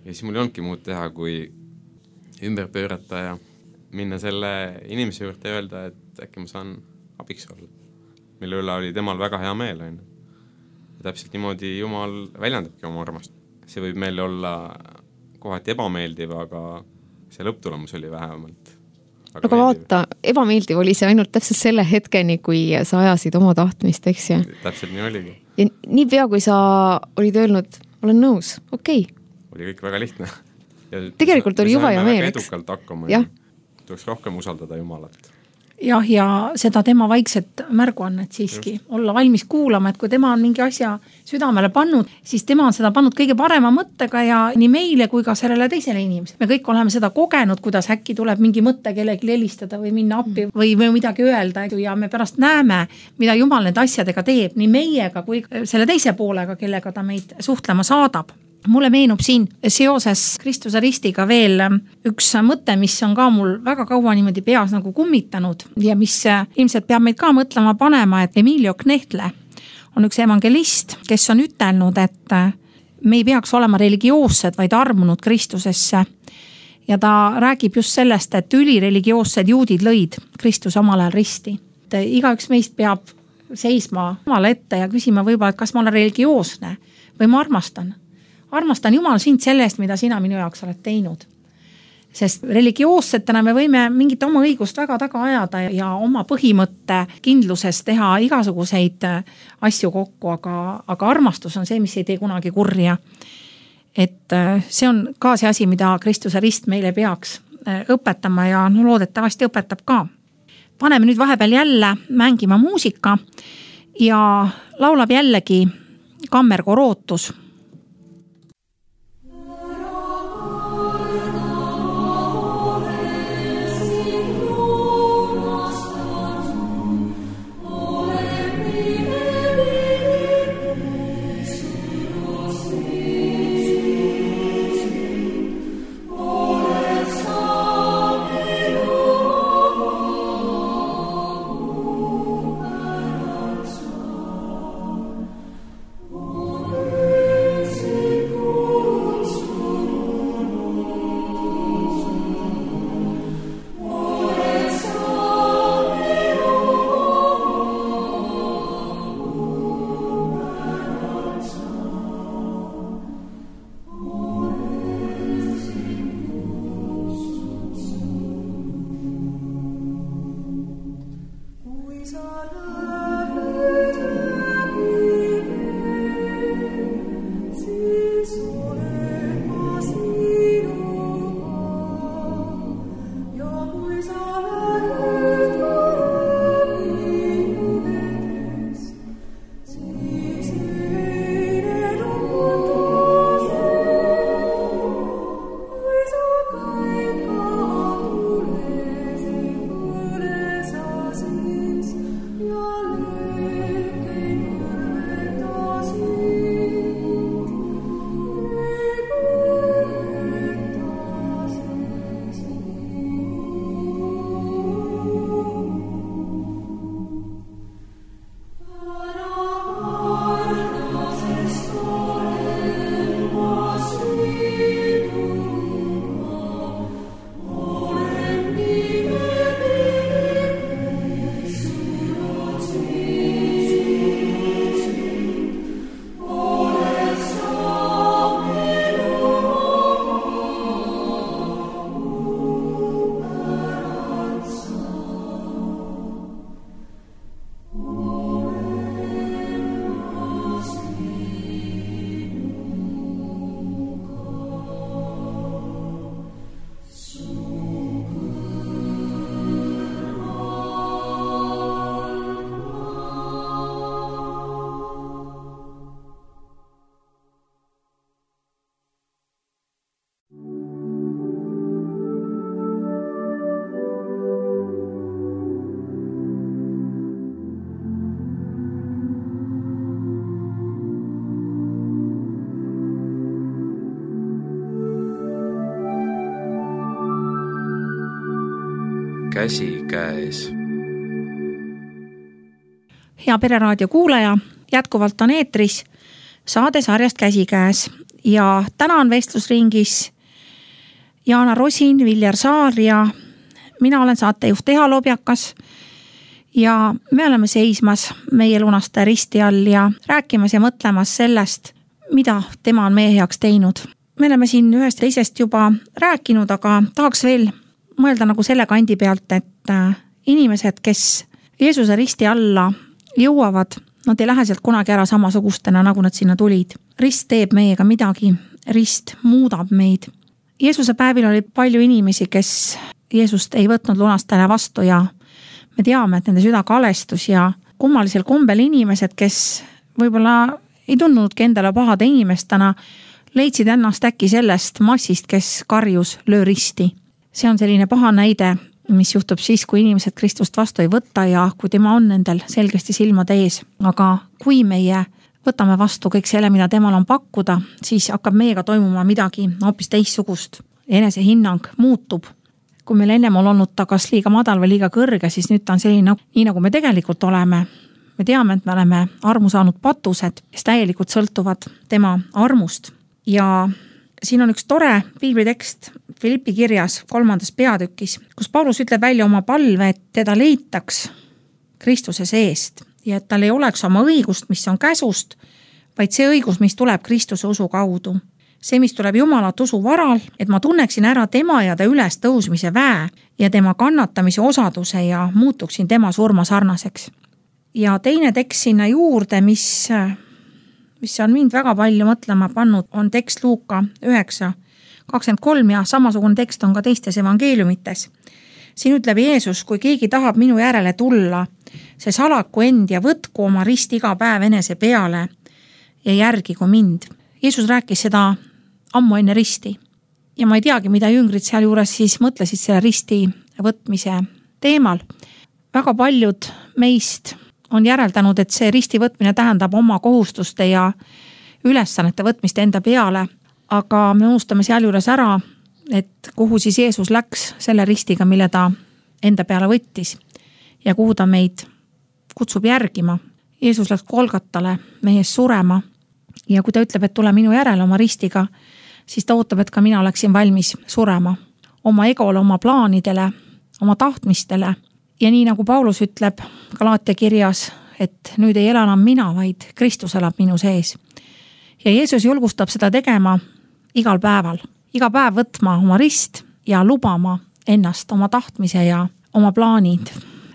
Ja siis mul ei olnudki muud teha, kui ümber pöörata ja minna selle inimese juurde ja öelda, et äkki ma saan abiks olla. Mille üle oli temal väga hea meel. On. Ja täpselt niimoodi Jumal väljendabki oma armast. See võib meil olla kohati ebameeldiv, aga see lõpptulemus oli vähemalt aga, aga vaata, ebameeldiv oli see ainult täpselt selle hetkeni, kui sa ajasid oma tahtmist, eks ju? Täpselt nii oligi. Ja nii pea, kui sa olid öelnud, olen nõus, okei. Okay. Oli kõik väga lihtne. Ja tegelikult oli juba ja meel, eks? Edukalt hakkama ja tuleks rohkem usaldada Jumalat. Jah, ja seda tema vaikset märguannet siiski Just. olla valmis kuulama, et kui tema on mingi asja südamele pannud, siis tema on seda pannud kõige parema mõttega ja nii meile kui ka sellele teisele inimesele. Me kõik oleme seda kogenud, kuidas äkki tuleb mingi mõtte kellegi helistada või minna appi või, või midagi öelda ja me pärast näeme, mida Jumal need asjadega teeb nii meiega kui selle teise poolega, kellega ta meid suhtlema saadab. Mulle meenub siin seoses Kristuse ristiga veel üks mõte, mis on ka mul väga kaua niimoodi peas nagu kummitanud ja mis ilmselt peab meid ka mõtlema panema, et Emilio Knechtle on üks evangelist, kes on ütelnud, et me ei peaks olema religioossed, vaid armunud Kristusesse. Ja ta räägib just sellest, et ülireligioossed juudid lõid Kristuse omal ajal risti. Et igaüks meist peab seisma omale ette ja küsima võib-olla, et kas ma olen religioosne või ma armastan. armastan Jumal sind selle eest, mida sina minu jaoks oled teinud. Sest religioossetena me võime mingit oma õigust väga taga ajada ja oma põhimõtte kindluses teha igasuguseid asju kokku, aga, aga armastus on see, mis ei tee kunagi kurja. Et see on ka see asi, mida Kristuse rist meile peaks õpetama ja no, loodetavasti õpetab ka. Paneme nüüd vahepeal jälle mängima muusika ja laulab jällegi kammerkoor Ootus. Käsikäes. Hea Pereraadio kuulaja, jätkuvalt on eetris saade sarjast Käsikäes ja täna on vestlusringis Jaana Rosin, Viljar Saar ja mina olen saatejuht Eha Lobjakas ja me oleme seismas meie lunastaja risti all ja rääkimas ja mõtlemas sellest, mida tema on meie heaks teinud. Me oleme siin ühest teisest juba rääkinud, aga tahaks veel mõelda nagu selle kandi pealt, et inimesed, kes Jeesuse risti alla jõuavad, nad ei lähe sealt kunagi ära samasugustena, nagu nad sinna tulid. Rist teeb meiega midagi, rist muudab meid. Jeesuse päevil oli palju inimesi, kes Jeesust ei võtnud lunastajale vastu ja me teame, et nende süda kalestus ja kummalisel kombel inimesed, kes võib-olla ei tundnudki endale pahade inimestena, leidsid ennast äkki sellest massist, kes karjus löö risti. See on selline paha näide, mis juhtub siis, kui inimesed Kristust vastu ei võta ja kui tema on nendel selgesti silmade ees. Aga kui meie võtame vastu kõik selle, mida temal on pakkuda, siis hakkab meiega toimuma midagi hoopis teissugust. Enese hinnang muutub. Kui meil ennem on olnud ta kas liiga madal või liiga kõrge, siis nüüd ta on selline, nii nagu me tegelikult oleme. Me teame, et me oleme armu saanud patused, kes täielikult sõltuvad tema armust. Ja siin on üks tore piiblitekst Filippi kirjas kolmandas peatükis, kus Paulus ütleb välja oma palve, et teda leitaks Kristuse seest ja et tal ei oleks oma õigust, mis on käsust, vaid see õigus, mis tuleb Kristuse usu kaudu. see, mis tuleb Jumalat usu varal, et ma tunneksin ära tema ja ta üles tõusmise väe ja tema kannatamise osaduse ja muutuksin tema surma sarnaseks. Ja teine tekst sinna juurde, mis, mis on mind väga palju mõtlema pannud, on tekst Luuka üheksa kakskümmend kolm ja samasugune tekst on ka teistes evangeeliumites. Siin ütleb Jeesus, kui keegi tahab minu järele tulla, see salaku end ja võtku oma rist iga päev enese peale ja järgigu mind. Jeesus rääkis seda ammu enne risti ja ma ei teagi, mida jüngrid seal juures siis mõtlesid selle risti võtmise teemal. Väga paljud meist on järeldanud, et see risti võtmine tähendab oma kohustuste ja ülesannete võtmist enda peale, aga me unustame seal juures ära, et kuhu siis Jeesus läks selle ristiga, mille ta enda peale võttis ja kuhu ta meid kutsub järgima. Jeesus läks Golgatale meie ees surema ja kui ta ütleb, et tule minu järele oma ristiga, siis ta ootab, et ka mina oleksin valmis surema oma egole, oma plaanidele, oma tahtmistele. Ja nii nagu Paulus ütleb Galaatia kirjas, et nüüd ei ela enam mina, vaid Kristus elab minu sees. Ja Jeesus julgustab seda tegema igal päeval. Iga päev võtma oma rist ja lubama ennast oma tahtmise ja oma plaanid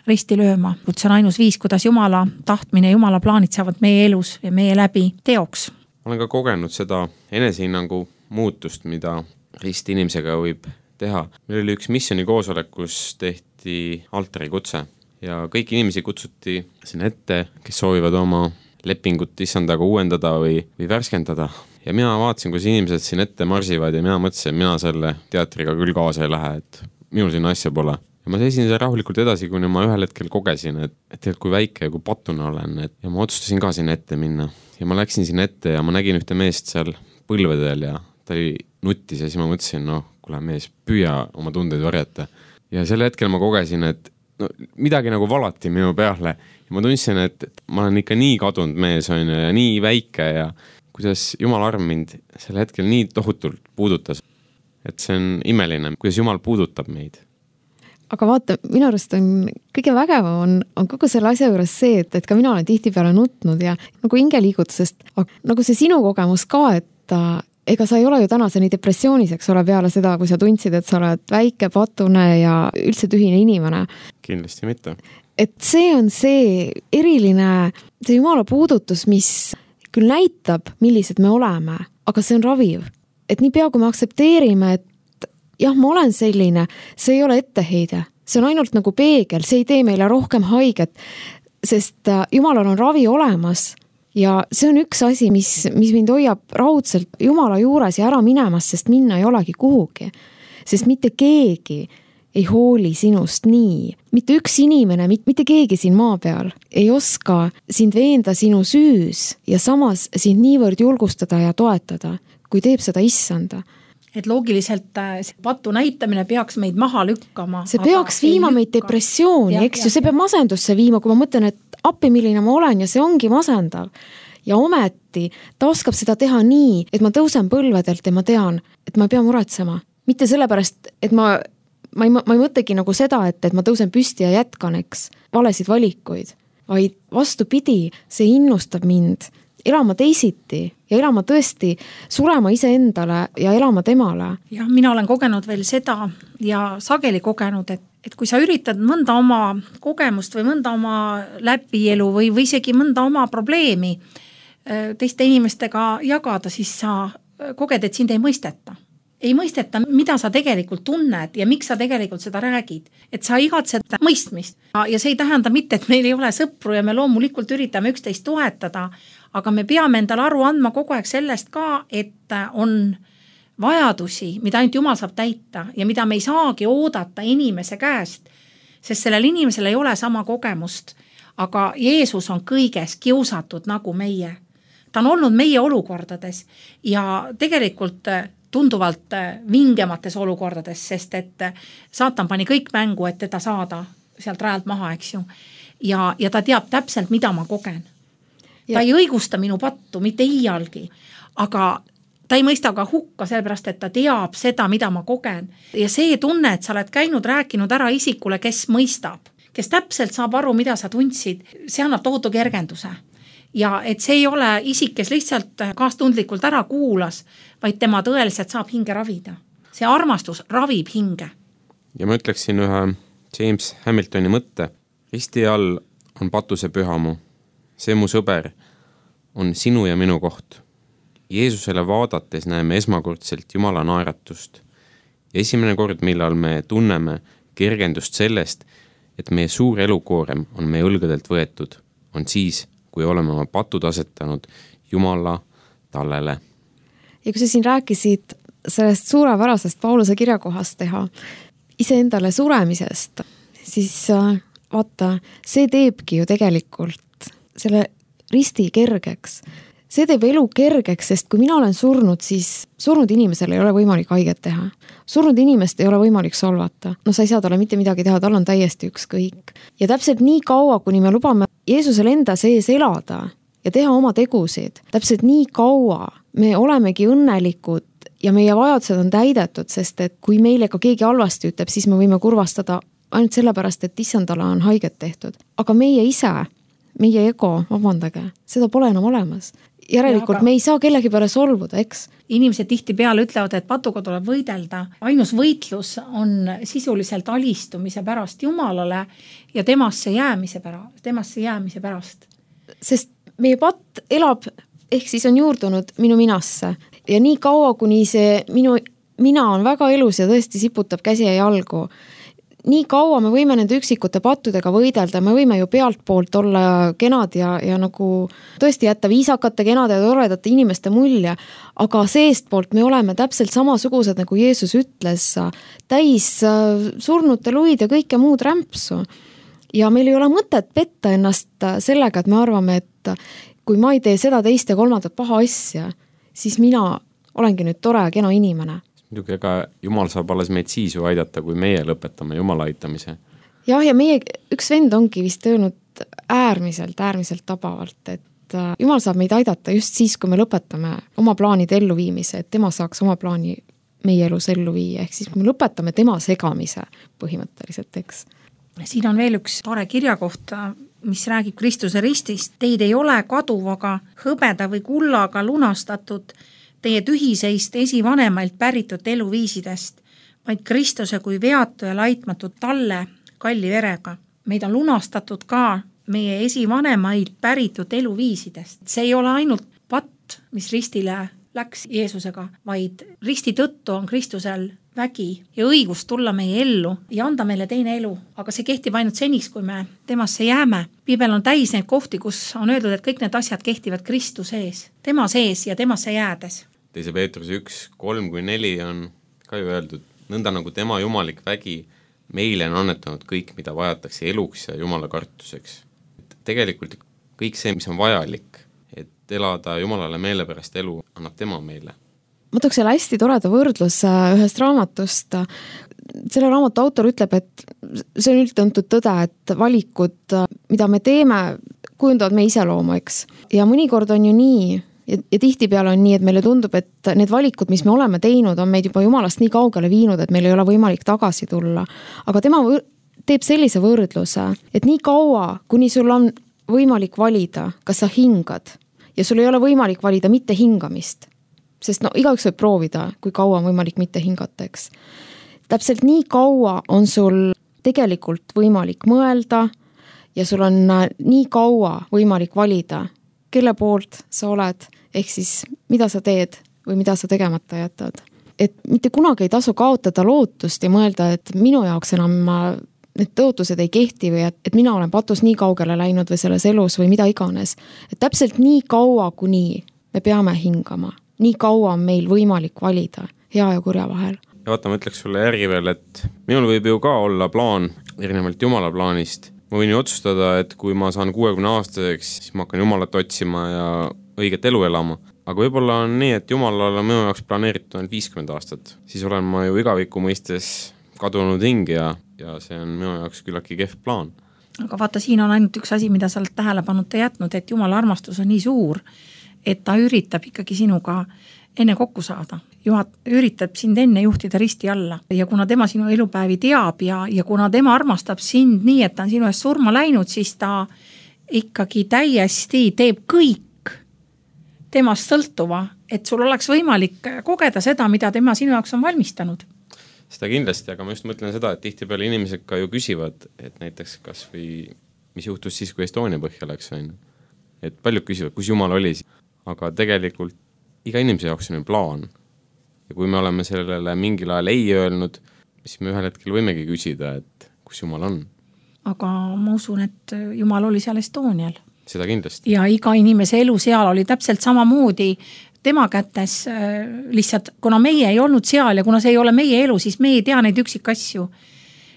risti lööma. See on ainus viis, kuidas Jumala tahtmine ja Jumala plaanid saavad meie elus ja meie läbi teoks. Ma olen ka kogenud seda enesehinnangu muutust, mida rist inimesega võib teha. Meil oli üks missiooni koosolek, kus tehti altari kutse ja kõik inimesi kutsuti sinna ette, kes soovivad oma lepingut issandaga uuendada või, või värskendada. Ja mina vaatasin, kus inimesed siin ette marsivad ja mina mõtlesin, mina selle teatriga küll kaasa ei lähe, et minul siin asja pole. Ja ma seisin seal rahulikult edasi, kuni ma ühel hetkel kogesin, et, et kui väike ja kui patuna olen. Et, ja ma otsustasin ka sinna ette minna. Ja ma läksin sinna ette ja ma nägin ühte meest seal põlvedel ja ta oli nuttis ja siis ma mõtlesin, noh, kuule mees, püüa oma tundeid varjata. Ja sel hetkel ma kogesin, et no, midagi nagu valati minu peale. Ja ma tundsin, et ma olen ikka nii kadunud mees on ja nii väike ja kuidas Jumal arm mind sel hetkel nii tohutult puudutas. Et see on imeline, kuidas Jumal puudutab meid. Aga vaata, minu arust on kõige vägevam on, on kogu selle asja juures see, et, et ka mina olen tihtipeale nutnud ja nagu hingeliigutusest, nagu see sinu kogemus ka, et ega sa ei ole ju tänaseni depressiooniseks ole peale seda, kui sa tundsid, et sa oled väike, patune ja üldse tühine inimene. Kindlasti mitte. Et see on see eriline, see Jumala puudutus, mis küll näitab, millised me oleme, aga see on raviv. Et nii pea, kui me aktsepteerime, et jah, ma olen selline, see ei ole etteheide. See on ainult nagu peegel, see ei tee meile rohkem haiget, sest Jumalal on ravi olemas ja see on üks asi, mis, mis mind hoiab raudselt Jumala juures ja ära minemas, sest minna ei olegi kuhugi. Sest mitte keegi ei hooli sinust nii. Mitte üks inimene, mitte keegi siin maa peal ei oska sind veenda sinu süüs ja samas sind niivõrd julgustada ja toetada, kui teeb seda issanda. Et loogiliselt patu näitamine peaks meid maha lükkama. See peaks viima meid depressiooni, eks ju, see peab masendusse viima, kui ma mõtlen, et appi, milline ma olen ja see ongi masendav. Ja ometi ta oskab seda teha nii, et ma tõusen põlvedelt ja ma tean, et ma ei pea muretsema. Mitte sellepärast, et ma Ma ei, ma ei mõtlegi nagu seda, et, et ma tõusen püsti ja jätkan, eks, valesid valikuid, vaid vastupidi, see innustab mind elama teisiti ja elama tõesti, surema iseendale ja elama temale. Ja mina olen kogenud veel seda ja sageli kogenud, et, et kui sa üritad mõnda oma kogemust või mõnda oma läbielu või, või isegi mõnda oma probleemi teiste inimestega jagada, siis sa koged, et sind ei mõisteta. Ei mõisteta, mida sa tegelikult tunned ja miks sa tegelikult seda räägid. Et sa igatsed mõistmist. Ja see ei tähenda mitte, et meil ei ole sõpru ja me loomulikult üritame üksteist toetada, aga me peame endale aru andma kogu aeg sellest ka, et on vajadusi, mida ainult Jumal saab täita ja mida me ei saagi oodata inimese käest, sest sellel inimesel ei ole sama kogemust. Aga Jeesus on kõiges kiusatud nagu meie. Ta on olnud meie olukordades ja tegelikult tunduvalt vingemates olukordades, sest et saatan pani kõik mängu, et teda saada sealt rajalt maha, eks ju. Ja, ja ta teab täpselt, mida ma kogen. Ta ja. Ei õigusta minu pattu, mitte iialgi, aga ta ei mõista ka hukka, sellepärast, et ta teab seda, mida ma kogen. Ja see tunne, et sa oled käinud, rääkinud ära isikule, kes mõistab, kes täpselt saab aru, mida sa tundsid, see annab tohutu kergenduse. ja et see ei ole isik, kes lihtsalt kaastundlikult ära kuulas, vaid tema tõeliselt saab hinge ravida. See armastus ravib hinge. Ja ma ütleksin ühe James Hamiltoni mõtte. Risti all on patuse pühamu. See mu sõber on sinu ja minu koht. Jeesusele vaadates näeme esmakordselt Jumala naeratust. Ja esimene kord, millal me tunneme kergendust sellest, et meie suur elukoorem on meie õlgadelt võetud, on siis, kui oleme oma patud asetanud Jumala tallele. Ja kui sa siin rääkisid sellest suurepärasest Pauluse kirjakohast teha, iseendale suremisest, siis vaata, see teebki ju tegelikult selle risti kergeks. See teeb elu kergeks, sest kui mina olen surnud, siis surnud inimesel ei ole võimalik haiget teha. Surnud inimest ei ole võimalik solvata. No sa ei saa talle mitte midagi teha, tal on täiesti ükskõik. Ja täpselt nii kaua, kuni me lubame Jeesusel enda sees elada ja teha oma tegusid, täpselt nii kaua me olemegi õnnelikud ja meie vajadused on täidetud, sest et kui meile ka keegi halvasti ütleb, siis me võime kurvastada ainult sellepärast, et issandale on haiget tehtud. Aga meie ise, meie ego, vabandage, seda pole enam olemas. Järelikult aga me ei saa kellegi peale solvuda, eks? Inimesed tihti peale ütlevad, et patuga tuleb võidelda. Ainus võitlus on sisuliselt alistumise pärast Jumalale ja temasse jäämise pärast. Temasse jäämise pärast. Sest meie patt elab, ehk siis on juurdunud minu minasse. Ja nii kaua, kuni see minu mina on väga elus ja tõesti siputab käsi ja jalgu, nii kaua me võime nende üksikute pattudega võidelda, me võime ju pealt poolt olla kenad ja, ja nagu tõesti jätta viisakate, kenade ja toredate inimeste mulje, aga seest poolt me oleme täpselt samasugused, nagu Jeesus ütles, täis surnute luid ja kõike muud rämpsu. Ja meil ei ole mõtet petta ennast sellega, et me arvame, et kui ma ei tee seda teist ja kolmandat paha asja, siis mina olengi nüüd tore ja kena inimene. Muidugi, ega Jumal saab alles meid siis ju aidata, kui meie lõpetame Jumala aitamise. Jah, ja meie üks vend ongi vist öelnud äärmiselt, äärmiselt tabavalt, et Jumal saab meid aidata just siis, kui me lõpetame oma plaanide elluviimise, et tema saaks oma plaani meie elus ellu viia, ehk siis me lõpetame tema segamise põhimõtteliselt, eks. Siin on veel üks tore kirjakoht, mis räägib Kristuse ristist. Teid ei ole kaduvaga, hõbeda või kullaga lunastatud teie tühiseist esivanemailt päritud eluviisidest, vaid Kristuse kui veatu ja laitmatud talle kalli verega. Meid on lunastatud ka meie esivanemailt päritud eluviisidest. See ei ole ainult patt, mis ristile läks Jeesusega, vaid risti tõttu on Kristusel vägi ja õigus tulla meie ellu ja anda meile teine elu. Aga see kehtib ainult seniks, kui me temasse jääme. Piibel on täis neid kohti, kus on öeldud, et kõik need asjad kehtivad Kristuse ees, tema sees ja temasse jäädes. Teise Peetruse üks, kolm kui neli on ka ju öeldud, nõnda nagu tema jumalik vägi meile on annetanud kõik, mida vajatakse eluks ja Jumala kartuseks. Et tegelikult kõik see, mis on vajalik, et elada Jumalale meelepärast elu, annab tema meile. Ma tooks selle hästi toreda võrdlus ühest raamatust. Selle raamatu autor ütleb, et see on üldtuntud tõde, et valikud, mida me teeme, kujundavad me iseloomu, eks. Ja mõnikord on ju nii, ja, ja tihti peale on nii, et meile tundub, et need valikud, mis me oleme teinud, on meid juba Jumalast nii kaugele viinud, et meil ei ole võimalik tagasi tulla. Aga tema võr- teeb sellise võrdluse, et nii kaua, kuni sul on võimalik valida, kas sa hingad, ja sul ei ole võimalik valida mitte hingamist, sest no igaüks võib proovida, kui kaua on võimalik mitte hingata, eks. Täpselt nii kaua on sul tegelikult võimalik mõelda ja sul on nii kaua võimalik valida, kelle poolt sa oled, ehk siis mida sa teed või mida sa tegemata jätad. Et mitte kunagi ei tasu kaotada lootust ja mõelda, et minu jaoks enam need tõotused ei kehti või et, et mina olen patus nii kaugele läinud või selles elus või mida iganes. Et täpselt nii kaua, kuni me peame hingama, nii kaua on meil võimalik valida hea ja kurja vahel. Ja vaata, ma ütleks sulle järgi veel, et minul võib ju ka olla plaan erinevalt Jumala plaanist. Ma võin ju otsustada, et kui ma saan kuuekümne aastaseks, siis ma hakkan Jumalat otsima ja õiget elu elama. Aga võib-olla on nii, et Jumalal on minu jaoks planeeritud on viiskümmend aastat. Siis olen ma ju igaviku mõistes kadunud hing ja, ja see on minu jaoks küllaki kehv plaan. Aga vaata, siin on ainult üks asi, mida sa oled tähelepanuta jätnud, et Jumala armastus on nii suur, et ta üritab ikkagi sinuga enne kokku saada. Juhat üritab sind enne juhtida risti alla ja kuna tema sinu elupäevi teab ja, ja kuna tema armastab sind nii, et ta on sinu eest surma läinud, siis ta ikkagi täiesti teeb kõik temast sõltuva, et sul oleks võimalik kogeda seda, mida tema sinu jaoks on valmistanud. Seda kindlasti, aga ma just mõtlen seda, et tihtipeale inimesed ka ju küsivad, et näiteks kas või mis juhtus siis, kui Estonia põhja läks, on. Et paljud küsivad, kus Jumal oli, aga tegelikult iga inimese jaoks on ju plaan. Ja kui me oleme sellele mingil ajal ei öelnud, siis me ühel hetkel võimegi küsida, et kus Jumal on. Aga ma usun, et Jumal oli seal Estonial. Seda kindlasti. Ja iga inimese elu seal oli täpselt samamoodi tema kätes, lihtsalt kuna meie ei olnud seal ja kuna see ei ole meie elu, siis me ei tea neid üksikasju.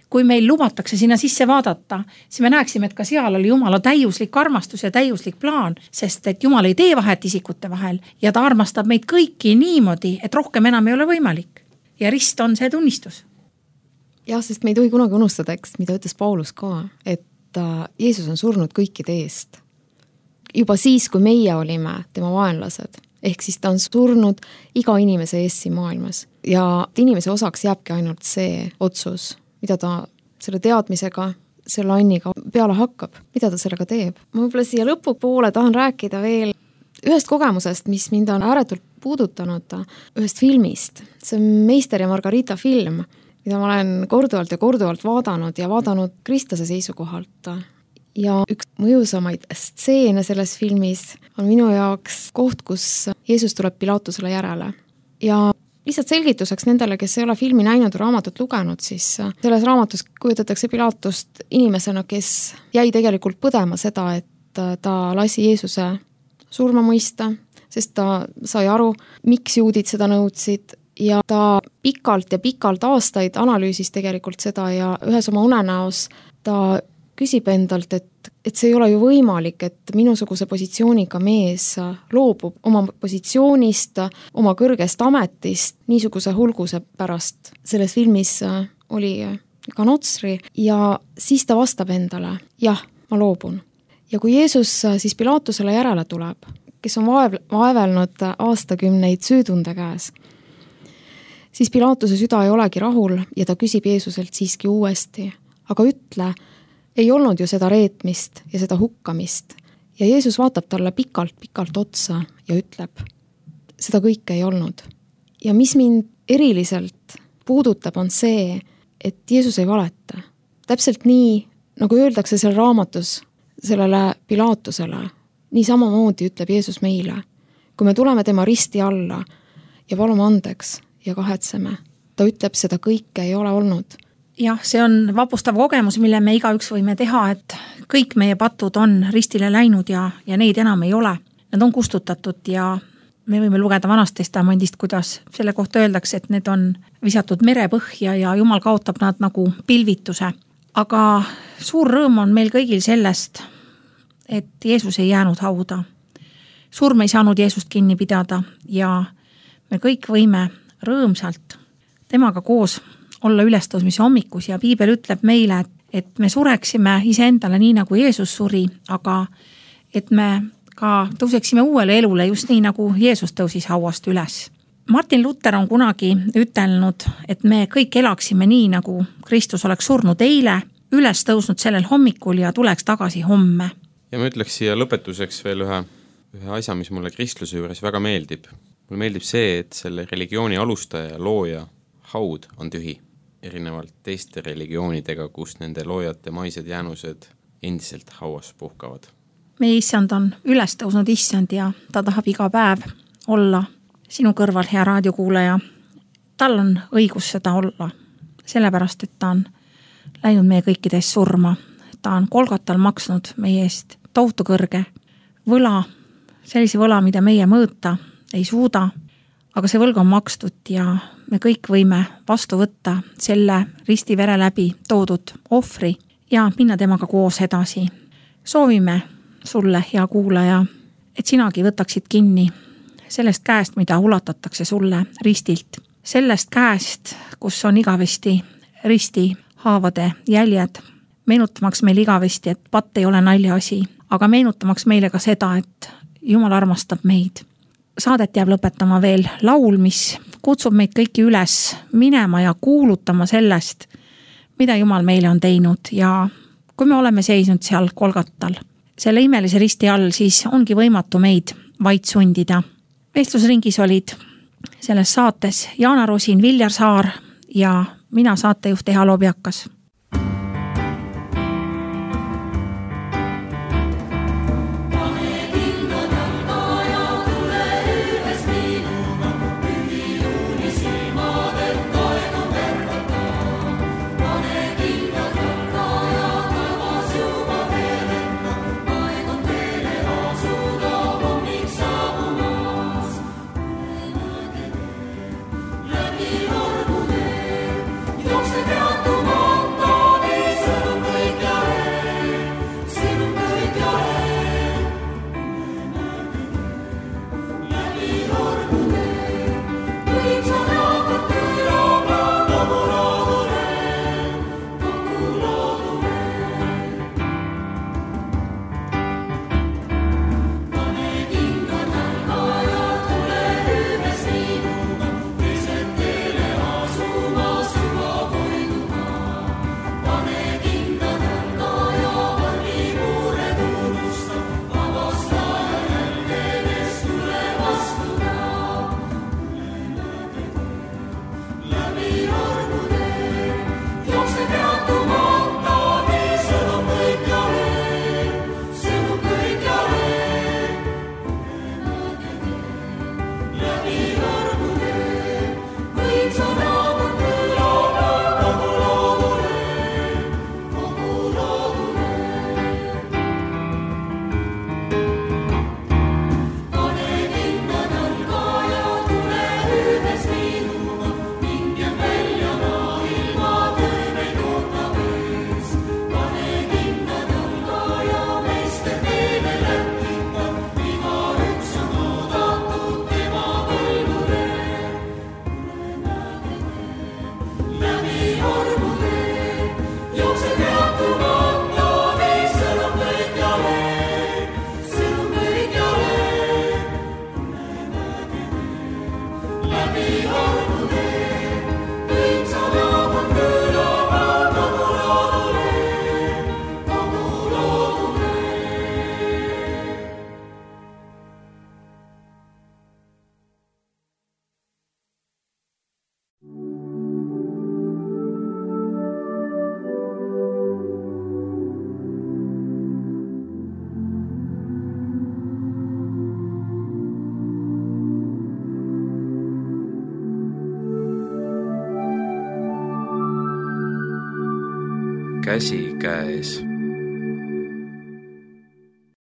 Kui meil lubatakse sinna sisse vaadata, siis me näeksime, et ka seal oli Jumala täiuslik armastus ja täiuslik plaan, sest et Jumal ei tee vahet isikute vahel ja ta armastab meid kõiki niimoodi, et rohkem enam ei ole võimalik. Ja rist on see tunnistus. Jah, sest me ei tohi kunagi unustada, eks, mida ütles Paulus ka, et Jeesus on surnud kõikide eest. Juba siis, kui meie olime tema vaenlased, ehk siis ta on surnud iga inimese eest siin maailmas ja inimese osaks jääbki ainult see otsus, mida ta selle teadmisega, selle anniga peale hakkab, mida ta sellega teeb. Ma võib-olla siia lõpupoole tahan rääkida veel ühest kogemusest, mis mind on ääretult puudutanud, ühest filmist. See on Meister ja Margarita film, mida ma olen korduvalt ja korduvalt vaadanud ja vaadanud kristlase seisukohalt. Ja üks mõjusamaid stseene selles filmis on minu jaoks koht, kus Jeesus tuleb Pilatusele järele. Ja lihtsalt selgituseks nendele, kes ei ole filmi näinud või raamatut lugenud, siis selles raamatus kujutatakse Pilatust inimesena, kes jäi tegelikult põdema seda, et ta lasi Jeesuse surma mõista, sest ta sai aru, miks juudid seda nõudsid ja ta pikalt ja pikalt aastaid analüüsis tegelikult seda ja ühes oma unenäos ta küsib endalt, et, et see ei ole ju võimalik, et minusuguse positsiooniga mees loobub oma positsioonist, oma kõrgest ametist niisuguse hulguse pärast. Selles filmis oli ka Notsri ja siis ta vastab endale, jah, ma loobun. Ja kui Jeesus siis Pilatusele järele tuleb, kes on vaev, vaevelnud aastakümneid süütunde käes, siis Pilatuse süda ei olegi rahul ja ta küsib Jeesuselt siiski uuesti, aga ütle, ei olnud ju seda reetmist ja seda hukkamist. Ja Jeesus vaatab talle pikalt-pikalt otsa ja ütleb, seda kõike ei olnud. Ja mis mind eriliselt puudutab, on see, et Jeesus ei valeta. Täpselt nii, nagu öeldakse seal raamatus sellele Pilatusele, nii samamoodi ütleb Jeesus meile. Kui me tuleme tema risti alla ja palume andeks ja kahetseme, ta ütleb, seda kõike ei ole olnud. Jah, see on vapustav kogemus, mille me igaüks võime teha, et kõik meie patud on ristile läinud ja, ja neid enam ei ole. Need on kustutatud ja me võime lugeda Vanast Testamendist, kuidas selle kohta öeldakse, et need on visatud merepõhja ja Jumal kaotab nad nagu pilvituse. Aga suur rõõm on meil kõigil sellest, et Jeesus ei jäänud hauda. Surm ei saanud Jeesust kinni pidada ja me kõik võime rõõmsalt temaga koos olla ülestõusmise hommikus ja Piibel ütleb meile, et, et me sureksime iseendale nii, nagu Jeesus suri, aga et me ka tõuseksime uuele elule just nii, nagu Jeesus tõusis hauast üles. Martin Luther on kunagi ütelnud, et me kõik elaksime nii, nagu Kristus oleks surnud eile, üles tõusnud sellel hommikul ja tuleks tagasi homme. Ja ma ütleks siia lõpetuseks veel ühe, ühe asja, mis mulle kristluse juures väga meeldib. Mulle meeldib see, et selle religiooni alustaja ja looja haud on tühi. Erinevalt teiste religioonidega, kus nende loojate maised jäänused endiselt hauas puhkavad. Meie issand on üles tõusnud issand ja ta tahab iga päev olla sinu kõrval, hea raadiokuulaja. Tal on õigus seda olla, sellepärast, et ta on läinud meie kõikide eest surma. Ta on Kolgatal maksnud meie eest tohutu kõrge võla, sellise võla, mida meie mõõta ei suuda, aga see võlg on makstud ja me kõik võime vastu võtta selle ristivere läbi toodud ohvri ja minna temaga koos edasi. Soovime sulle, hea kuulaja, et sinagi võtaksid kinni sellest käest, mida ulatatakse sulle ristilt. Sellest käest, kus on igavesti risti haavade jäljed, meenutamaks meil igavesti, et patt ei ole naljaasi, aga meenutamaks meile ka seda, et Jumal armastab meid. Saadet jääb lõpetama veel laul, mis kutsub meid kõiki üles minema ja kuulutama sellest, mida Jumal meile on teinud ja kui me oleme seisnud seal Kolgatal, selle imelise risti all, siis ongi võimatu meid vaid sundida. Vestlusringis olid selles saates Jaana Rosin, Viljar Saar ja mina saatejuht Eha Lobjakas. Käsi käes.